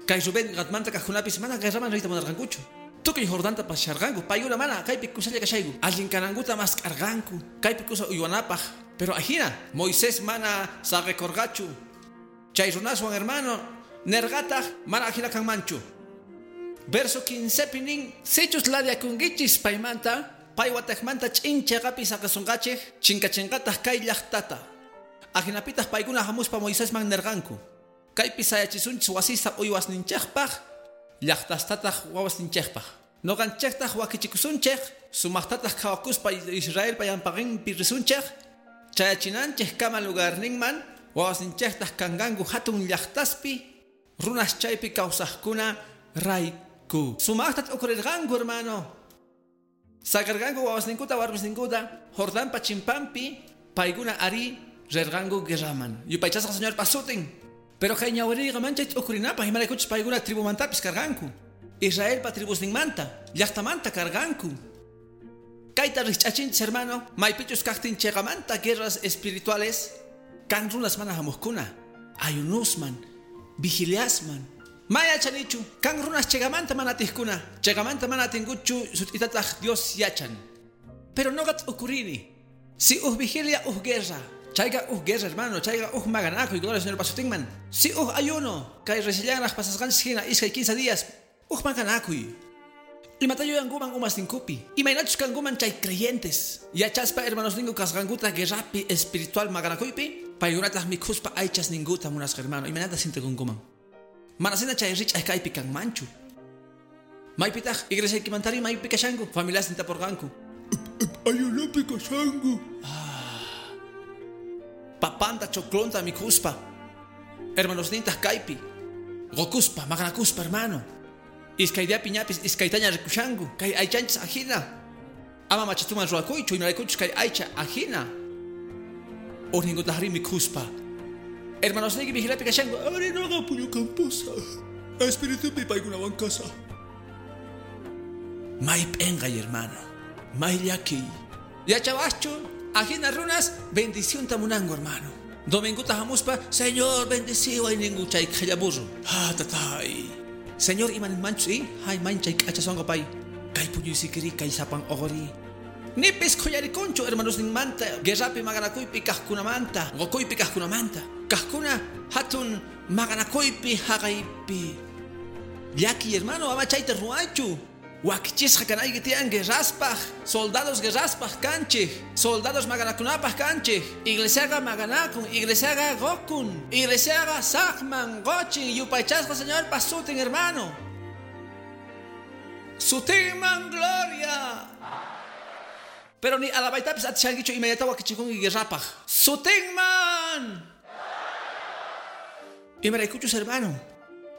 Kay Rubén Gadmanta kaqkunapis mana guerraman riyta munarqankuchu. Tukuy Jordanta pasharqanku, paykuna mana kaypi kusalla kashayku, allin kanankuta mask'arqanku, kaypi kusa uywanapaq. Pero ajina, Moisés mana saqekurqachu. Chay runaswan, hermano, nerqataq mana ajina kanmanchu. Verso quince nin, sichus ladiakunkichis paymanta, paywataqmanta ch'in chayqapi saqasunqachik, chinkachinqataq kay llaqtata. Ajinapitaq paykuna hamuspa Moisesman nerqanku. Kaypi sayachisunchis wasista uywasninchikpaq, llaqtastataq wawasninchikpaq. Noqanchiktaq wakichikusunchik, sumaqtataq qhawakuspa Israelpa yanpaqinpi risunchik, chayachinanchik kama lugarninman, wawasninchiktaq kanqanku hatun llaqtaspi, runas chaypi kawsaqkuna rayku. Sumaqta t'ukurirqanku, hermano. Sakarqanku wawasninkuta warmisninkuta Jordanpa chimpanpi, paykuna ari rirqanku guerraman. Yupaychasqa Señor pasutin. Pero kay ñawiriyqa manchay t'ukurinapaq imaraykuchus paykuna tribumantapis karqanku. Israelpa tribusninmanta, llaqtamanta karqanku. Kayta rikch'achinchis, hermano, maypichus kaqtin chayqamanta guerras espirituales, kan runas mana hamuqkuna, ayunusman, vigiliasman. Mayachanichu, kan runas chayqamanta mana atiqkuna, chayqamanta mana atinkuchu sut'itataq Dios yachan. Pero noqa t'ukurini, si uj vigilia uj guerra, chayqa uj guerra, hermano, chayqa uj maqanakuy, gloria al Señor pasutinman. Si uj ayuno, kay reciellanraq pasasqanchis hina iskay quince días, uj maqanakuy. Imata yuyankuman umasninkupi, imaynachus kankuman chay creyentes. Yachaspa hermanosninku kasqankuta guerrapi espiritual maqanakuypi, paykunataq mikhuspa aychasninkuta munasqa, hermano, imaynata sintikunkuman. Manasina chay rich'ay kaypi kanmanchu. Maypitaq iglesiaykimantari maypi kashanku, familiasninta taporqanku. Ayunopi kashanku. Papanta choclonta mikhuspa, hermanosnintaq kaypi, gokuspa, maqanakuspa, hermano. Iskay diapi ñapis iskaytaña rikushanku, kay aychanchis ajina. Ama machituman ruwakuychu, imaraykuchus kay aycha ajina. Urninkutaqri mikhuspa. Hermanosniyki vigilapi kashanku, ari noqa puñukampusa, espiritupi paykunawan kasa. May p'enqay, hermano, may llakiy. Yachawaschu, ajina runas bendicionta munanku, hermano. Dominguta hamuspa, Señor, bendeciway ninku chay qhilla burro. Ah, tatay. Señor, imaninmanchu, i? Hay manchay k'acha sonqo pay. Kay puñuysikiri, kay sapan oqori. Nipis khuyarikunchu, hermanosninmanta, guerrapi maqanakuypi kaqkunamanta, qukuypi kaqkunamanta. Kaqkuna hatun maqanakuypi haqaypi. Llaki, hermano, ama chayta ruwaychu. Wakichisqa kanayki tiyan guerraspaq, soldados guerraspaq kanchik, soldados maqanakunapaq kanchik. Iglesiaqa maqanakun, iglesiaqa qukun, iglesiaqa saqman, qochin, yupaychasqa Señorpa sutin, hermano. Sutinman gloria. Pero ni alabaytapis atishankichu imaynata wakichikunki guerrapaq. Sutinman. Imaraykuchus, hermano.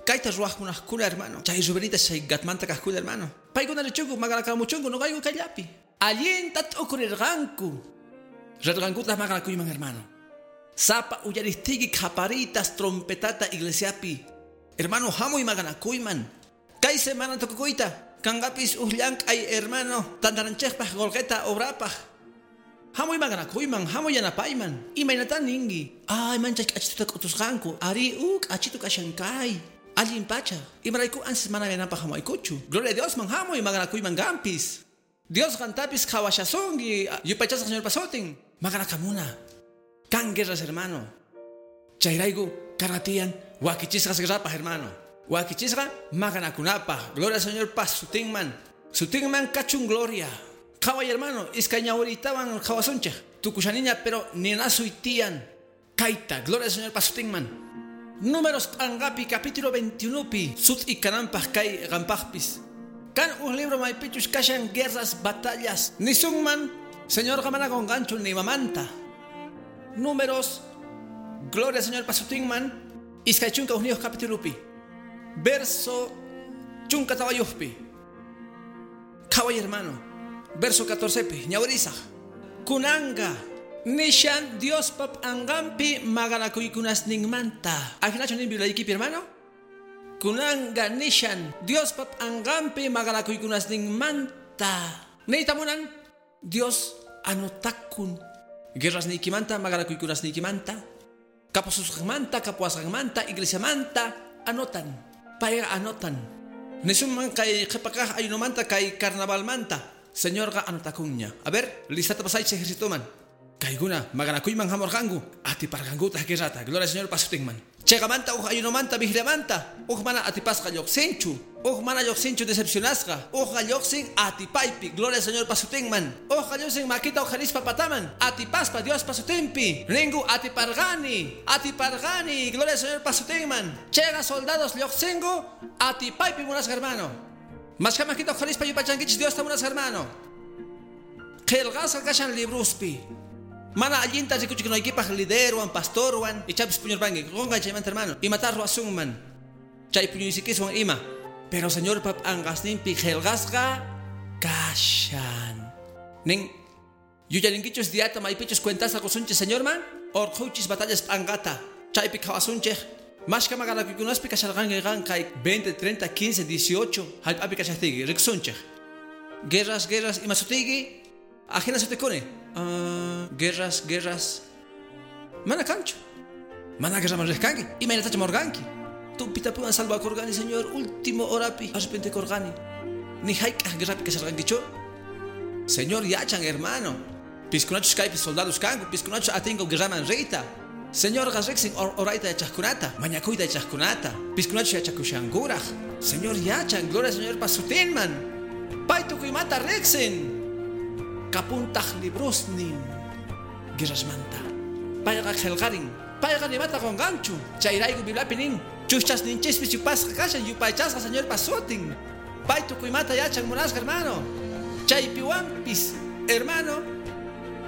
Kayta ruwaqkunaqkuna, hermano. Chay Rubenitas chay Gatmanta kaqkuna, hermano. Paykuna richunku maqanakamuchunku noqayku kayllapi. Allinta t'ukurirqanku. Rirqankutaq maqanakuyman, hermano. Sapa uyaristiki qhaparitas trompetata iglesiapi. Hermano, hamuy maqanakuyman. Kay semana tukukuyta. Kanqapis uj llank'ay, hermano, tantaranchikpaq qolqeta obrapaq. Hamuy maqanakuyman, hamuy yanapayman. Imaynatan ninki? Ay, manchay k'achituta k'utusqanku. Ari, u k'achitu kashankay. Allin pacha. Imarayku ansis mana yanapaq hamuaykuchu. Gloria a Dios man hamuy maqanakuyman gampis. Dios qantapis qhawashasunki. Yupaychasqa Señor pasutin. Maqanakamuna. Kan guerras, hermano. Chayrayku karatiyan wakichisqas guerrapaq, hermano. Wakichisqa maqanakunapaq. Gloria al Señor pasutinman. Sutinman kachun gloria. Qhaway, hermano, iskay ñawiritawan qhawasunchik. Tukushaniña, pero ninasuy tiyan. Kayta, gloria al Señor pasutinman. Números p'anqapi capítulo veintiuno pi sut'i kananpaq kay qampaqpis. Kan un libro maypichus kashan guerras, batallas. Nisunman, Señor mana qunqanchu ni mamanta. Números, gloria al Señor pasutinman, iskay chunka hukniyuq capítulo pi. Verso chunka tawayuqpi. Qhaway, hermano. Verso catorce pi, ñawirisaq. Kunanqa, nishan Dios pap angampi maqanakuykunasninmanta. Ajinachu nin Bibliaykipi, hermano? Kunanqa nishan Dios pap angampi maqanakuykunasninmanta. Niyta munan Dios anotakun. Guerras niykimanta, maqanakuykunasniykimanta. Kapususqanmanta, kapuwasqanmanta, iglesiamanta, anotan. Payqa anotan. Nisunman kay qhipakaq ayunumanta kay carnavalmanta. Señorqa anotakunña. A ver, listata pasaychik ejercitoman. Kaykuna maqanakuyman hamurqanku, atiparqankutaq guerrata. Gloria al Señor pasutinman. Chayqamanta uj ayunomanta vigiliamanta, uj mana atipasqa lluqsinchu, uj mana lluqsinchu decepcionasqa, ujqa lluqsin atipaypi. Gloria al Señor pasutinman. Ujqa lluqsin makita uqharispa pataman, atipaspa Dios pasutinpi. Ninku atiparqani, atiparqani. Gloria al Señor pasutinman. Chayqa soldados lluqsinku atipaypi, munasqa hermano. Mashkha makita uqharispa yupaychankichis Diosta, munasqa hermano. Qillqasqa kashan libruspi. Mana allinta rikuchikunaykipaq liderwan, pastorwan, ichapis puñurpanki. Qunqay chaymanta, hermano. Imata ruwasunman. Chay puñuysikiswan ima. Pero Señor pap anqasninpi qillqasqa kashan. Nin yuyarinkichus diata maypichus cuentasta qusunchis Señorman, urqhuychis batallas p'anqata. Chaypi qhawasunchik. Mashkha maqanakuykunaspi kasharqanki qan kay veinte, treinta, quince, dieciocho hallp'api kashaqtiyki rikusunchik. Guerras, guerras, ima sutiyki? Ajina sutikuni. Uh, guerras, guerras. Mana kanchu. Mana guerraman riqkanki. Imaynatacha morqanki. Tumpitapuwan salvakurqani, Señor, último horapi arrepentikurqani. Ni hayk'aq guerrapi kasharqankichu? Señor yachan, hermano. Piskunachus kaypi soldados kanku, piskunachus atinku guerraman riyta. Señor riqsin orayta yachaqkunata, mañakuyta yachaqkunata, piskunachus yachakushankuraq. Señor yachan, gloria al Señor pasutinman. Pay tukuymanta riqsin. Kapuntaq librusnin guerrasmanta. Payqa qillqarin, payqa nimata qunqanchu. Chayrayku Bibliapi nin, chuschasninchispis yupasqa kashan, yupaychasqa Señor pasutin. Pay tukuymanta yachan, munasqa hermano. Chaypiwanpis, hermano,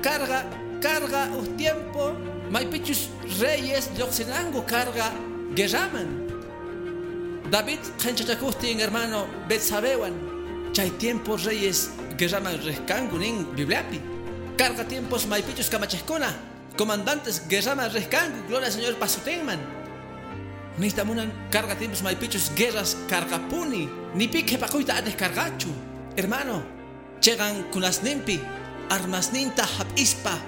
carga, carga uj tiempo maypichus reyes lluqsinanku carga guerraman. David qhinchachakuqtin, hermano, Betsabewan. Chay tiempo reyes guerraman riqkanku nin Bibliapi. Carga tiempos maypichus kamachiqkuna, comandantes guerraman riqkanku, gloria al Señor pasutinman. Niyta munan carga tiempos maypichus guerras karqapuni, ni pi qhipakuyta atiq karqachu. Hermano, chegan kunasninpi, armasninta hap'ispa,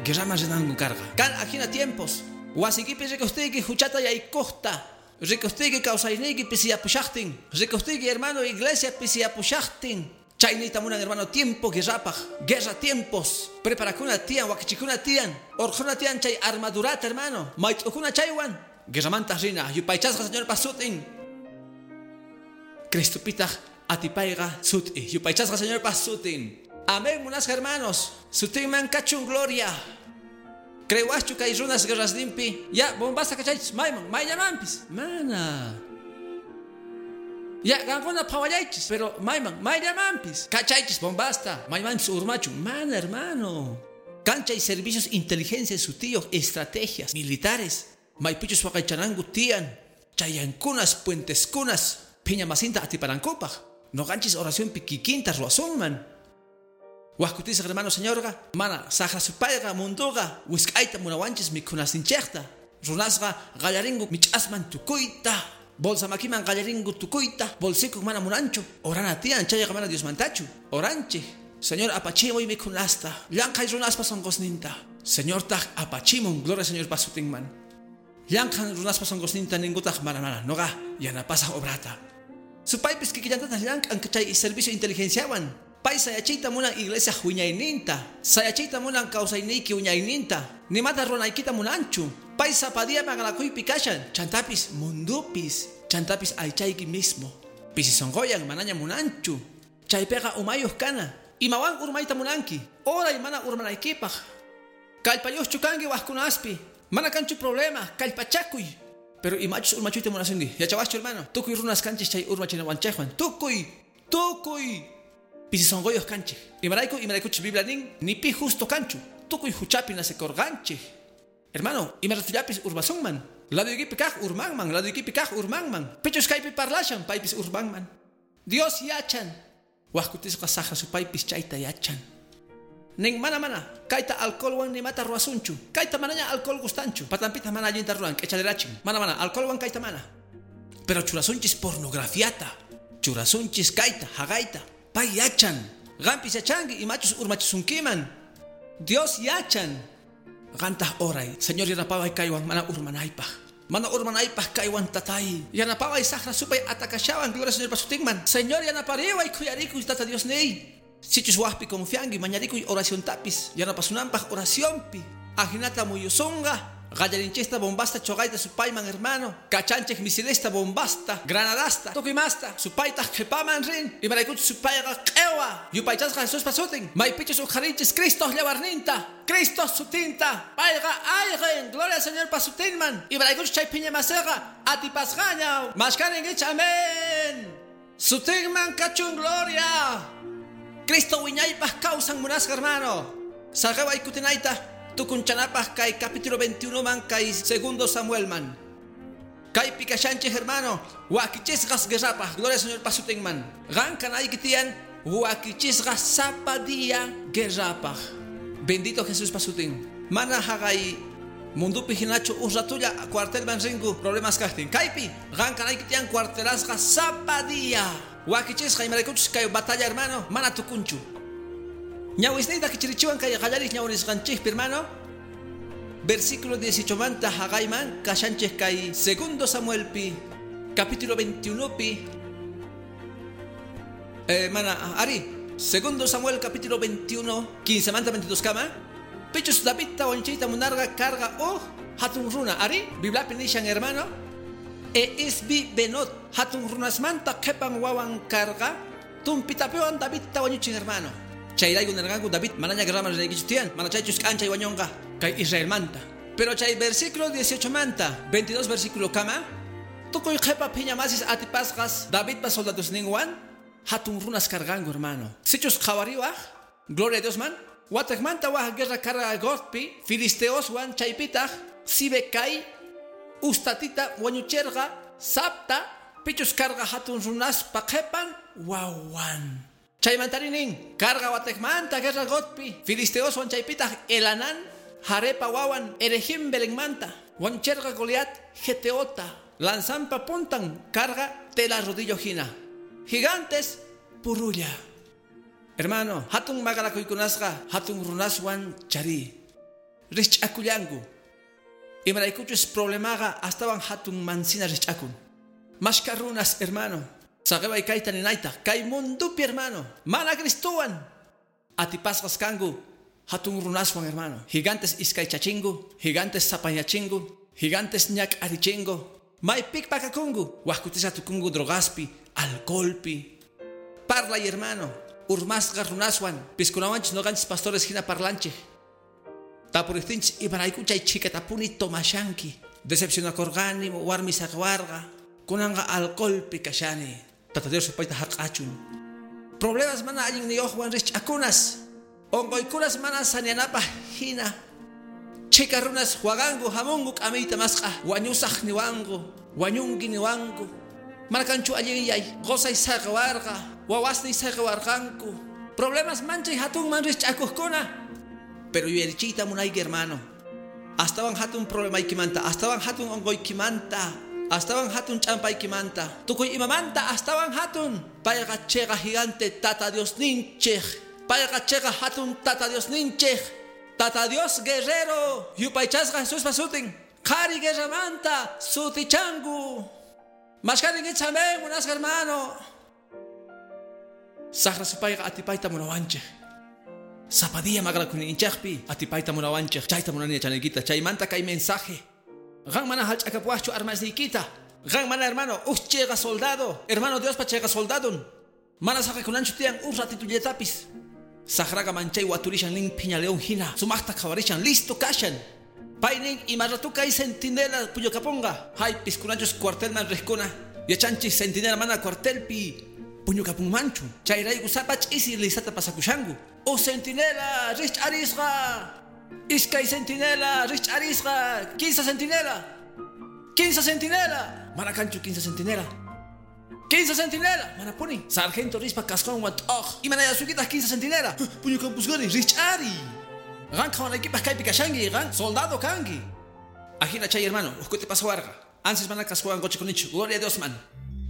guerraman rinanku karqa. Kan ajina tiempos, wasiykipi rikuqtiyki huchata yaykuqta, rikuqtiyki kawsayniyki pisiyapushaqtin, rikuqtiyki, hermano, iglesia pisiyapushaqtin. Chay niyta munan, hermano, tiempo guerrapaq, guerra tiempos. Preparakuna tiyan, wakichikuna tiyan, urqhuna tiyan chay armadurata, hermano. Mayt'ukuna chaywan. Guerramanta rina, yupaychasqa Señor pasutin. Cristopitaq atipayqa sut'i, yupaychasqa Señor pasutin. Amén, munasqa hermanos. Sutinman kachun gloria. Creewaqchu kay runas guerrasninpi. Ya, bombasta kachaychis, mayman, mayllamanpis. Mana. Ya, qankuna phawallaychis, pero mayman, mayllamanpis. Kachaychis, bombasta, maymanpis urmachun. Mana, hermano. Cancha y servicios, inteligencia, sutiyuq, estrategias militares. Maypichus waqaychananku tiyan. Chayankunas, puenteskunas, phiña masinta atipanankupaq. Noqanchis oracionpi kikinta ruwasunman. Wajkutisaq, hermano, Señorqa, mana saqra supayqa, munduqa, wisk'ayta munawanchis mikhunasninchikta. Runasqa qallarinku mich'asman tukuyta. Bolsa makiman qallarinku tukuyta. Bolsikuk mana munanchu. Orana tiyan, chayqa mana Diosmantachu. Oranchik. Señor apachimuy mikhunasta, llanqhay runaspa sunqusninta. Señortaq apachimun, gloria Señor pasutinman. Llanqhan runaspa sunqusninta ninkutaq mana mana, noqa yanapasaq obrata. Supaypis kikillantataq llank'an chay servicio inteligenciawan. Pay sayachiyta munan iglesia wiñayninta, sayachiyta munan kawsayniyki wiñayninta, nimata runaykita munanchu. Pay sapa día maqanakuypi kashan, chantapis mundupis, chantapis aychayki mismo. Pisi sunquyan manaña munanchu. Chaypiqa umayuq kana. Imawan urmayta munanki, oray mana urmanaykipaq. Kallpayuqchu kanki wajkunaspi, mana kanchu problema, kallpachakuy. Pero imachus urmachuyta munasunki, yachawaschu hermano, tukuy runas kanchis chay urmachinawanchikwan, tukuy, tukuy. Pisi sunquyuq kanchik. Imarayku, imaraykuchus Biblia nin, ni pi justo kanchu, tukuy huchapi nacekorqanchik. Hermano, imaratullapis urmasunman. Laduykipi kaq urmanman, laduykipi kaq urmanman. Pichus kaypi parlashan, paypis urmanman. Dios yachan. Wajkutisqa saqra supaypis chayta yachan. Nin mana mana, kayta alcoholwan nimata ruwasunchu. Kayta manaña alcohol gustanchu. Patampita mana allinta ruwan, k'echalerachin. Mana mana, alcoholwan kayta mana. Pero churasunchis pornografiata. Churasunchis kayta, haqayta. Pay yachan. Qampis yachanki imachus urmachisunkiman. Dios yachan. Qantaq oray, Señor yanapaway kaywan mana urmanaypaq. Mana urmanaypaq kaywan tatay. Yanapaway saqra supay atakashawan, gloria Señor pasutinman. Señor yanapariway khuyarikuy tata Dios niy. Sichus wajpi confianki mañarikuy oración tapis. Yanapasunanpaq oracionpi. Ajinata muyusunqa. Qallarinchista bombasta choqayta supayman hermano. Kachanchik misilesta bombasta, granadasta, tukuy imasta, supaytaq qhipaman rin. Imaraykuchus supayqa q'ewa. Yupaychasqa Jesús pasutin. Maypichus uqharinchis Cristo llawarninta, Cristo sutinta. Payqa ayqin, gloria al Señor pasutinman. Imaraykuchus chay phiña masiqa atipasqaña. Mashkaninkichik, amén. Sutinman kachun gloria. Cristo wiñaypaq kawsan munasqa hermano. Saqeway kutinayta. Tukunchanapaq kay capítulo veintiuno man kay segundo Samuel man. Kaypi kashanchik hermano, wakichisqas guerrapaq, gloria al Señor pasutinman. Qan kanayki tiyan wakichisqas sapa día guerrapaq. Bendito Jesús pasutin. Mana haqay mundupi hinachu uj ratulla cuartelman rinku problemas kaqtin. Kaypi qan kanayki tiyan cuartelasqa sapa día. Wakichisqa imaraykuchus kay batalla hermano, mana tukunchu. Ñawisniyta kichirichiwan kay qallarik ñawirisqanchikpi hermano. Versículo dieciocho manta haqayman kashanchik kay segundo Samuelpi capítulo veintiuno pi. Eh, mana ari, segundo Samuel capítulo veintiuno, quince manta veintidós kama. Pichus Davidta wañuchiyta munarqa karqa uj hatun runa ari, Bibliapi nishan hermano. E isbi benot hatun runasmanta qhipan wawan karqa tumpitapiwan Davidta wañuchin hermano. Chayrayku nirqanku David manaña guerraman rinaykichu tiyan, mana chaychus k'anchay wañunqa kay Israelmanta. Pero chay versículo dieciocho manta, veintidós versículo kama, tukuy qhipa phiña masis atipasqas Davidpa soldadosninwan hatun runas karqanku hermano. Sichus qhawariwaq, gloria a Dios man, wataqmanta waj guerra karqa Gotpi, filisteoswan chaypitaq Sibecai ustatita wañucherqa Sapta, pichus karqa hatun runaspa qhipan wawan. Chaymantarinin, karga watekmanta guerra Gotpi, filisteoswan chaypitaq Elanan, Jarepa wawan, Erejim Belenmanta, wañucherqa Goliat, Geteota, lanzampa puntan, carga tela rodillo hina. Gigantes, purulla. Hermano, hatun maqanakuykunasqa, hatun runaswan chari. Rich'akullanku. Imaraykuchus problemaqa astawan hatun mansina rich'akun. Mashka runas, hermano. Saqeway kayta ninayta, kay mundupi hermano, mana Cristowan. Atipasqas kanku hatun runaswan hermano. Gigantes iskaychachingu, gigantes sapayachingu, gigantes ñak'arichingu. Maypik pakakungu, wajkutisa tukungu drogaspi, alcoholpi. Parlay hermano, urmasqa runaswan, piskunawanchis noqanchis pastores hina parlanchik. Tapuriqtinchis imarayku chay chhikatapuni tomashanki. Decepcionakurqani, warmi saqwarqa, kunanqa alcoholpi kashani. Tata Dios supayta hark'achun. Problemas mana allinniyuqwan rich'akunas. Onquykunas mana sanianapaq hina. Chhika runas waqanku hamunku k'amiyta masq'a. Wañusaq niwanku, wañunki niwanku. Mana kanchu allinyay, qusay saqwarqa, wawasniy saqwarqanku. Problemas manchay hatunman rich'akuqkuna. Pero yuyarichiyta munayki hermano. Astawan hatun problemaykimanta, astawan hatun onqoykimanta, astawan hatun ch'ampaykimanta, tukuy imamanta astawan hatun. Payqa chiqa gigante tata Dios ninchik. Payqa chiqa hatun Tata Diosninchik. Tata Dios guerrero. Yupaychasqa Jesuspa sutin. Qhari guerramanta sutichanku. Mashkarinkichik amén, munasqa hermano. Saqra supayqa atipayta munawanchik. Sapa día maqanakuninchikpi atipayta munawanchik. Chayta munani yachanaykita. Chaymanta kay mensaje. Qan mana hallch'akapuwaqchu armasniykita. Qan mana hermano, uj chiqa soldado. Hermano Diospa chiqa soldadon. Mana saqikunanchu tiyan uj ratitullatapis. Saqraqa manchay waturishan nin phiña león hina. Sumaqta qhawarishan listo kashan. Paynin ima ratu kay centinela puñukapunqa. Hay piskunachus cuartelman riqkuna. Yachanchis centinela mana cuartelpi puñukapunmanchu. Chayrayku sapa ch'isi listata pasakushanku. Uj centinela rich'arisqa. Iskay centinela rich'arisqa. Kinsa centinela. Kinsa centinela. Mana kanchu kinsa centinela. Kinsa centinela. Mana puni. Sargento rispa kasqanwan t'uq. Imanayasukitaq kinsa centinela. Puñukampusqani rich'ari. Qan qhawanaykipaq kaypi kashanki, qan soldado kanki. Ajina chay hermano, uj kuti pasawarqa. Ansis mana kasqanwan qochikunichu. Gloria a Dios man.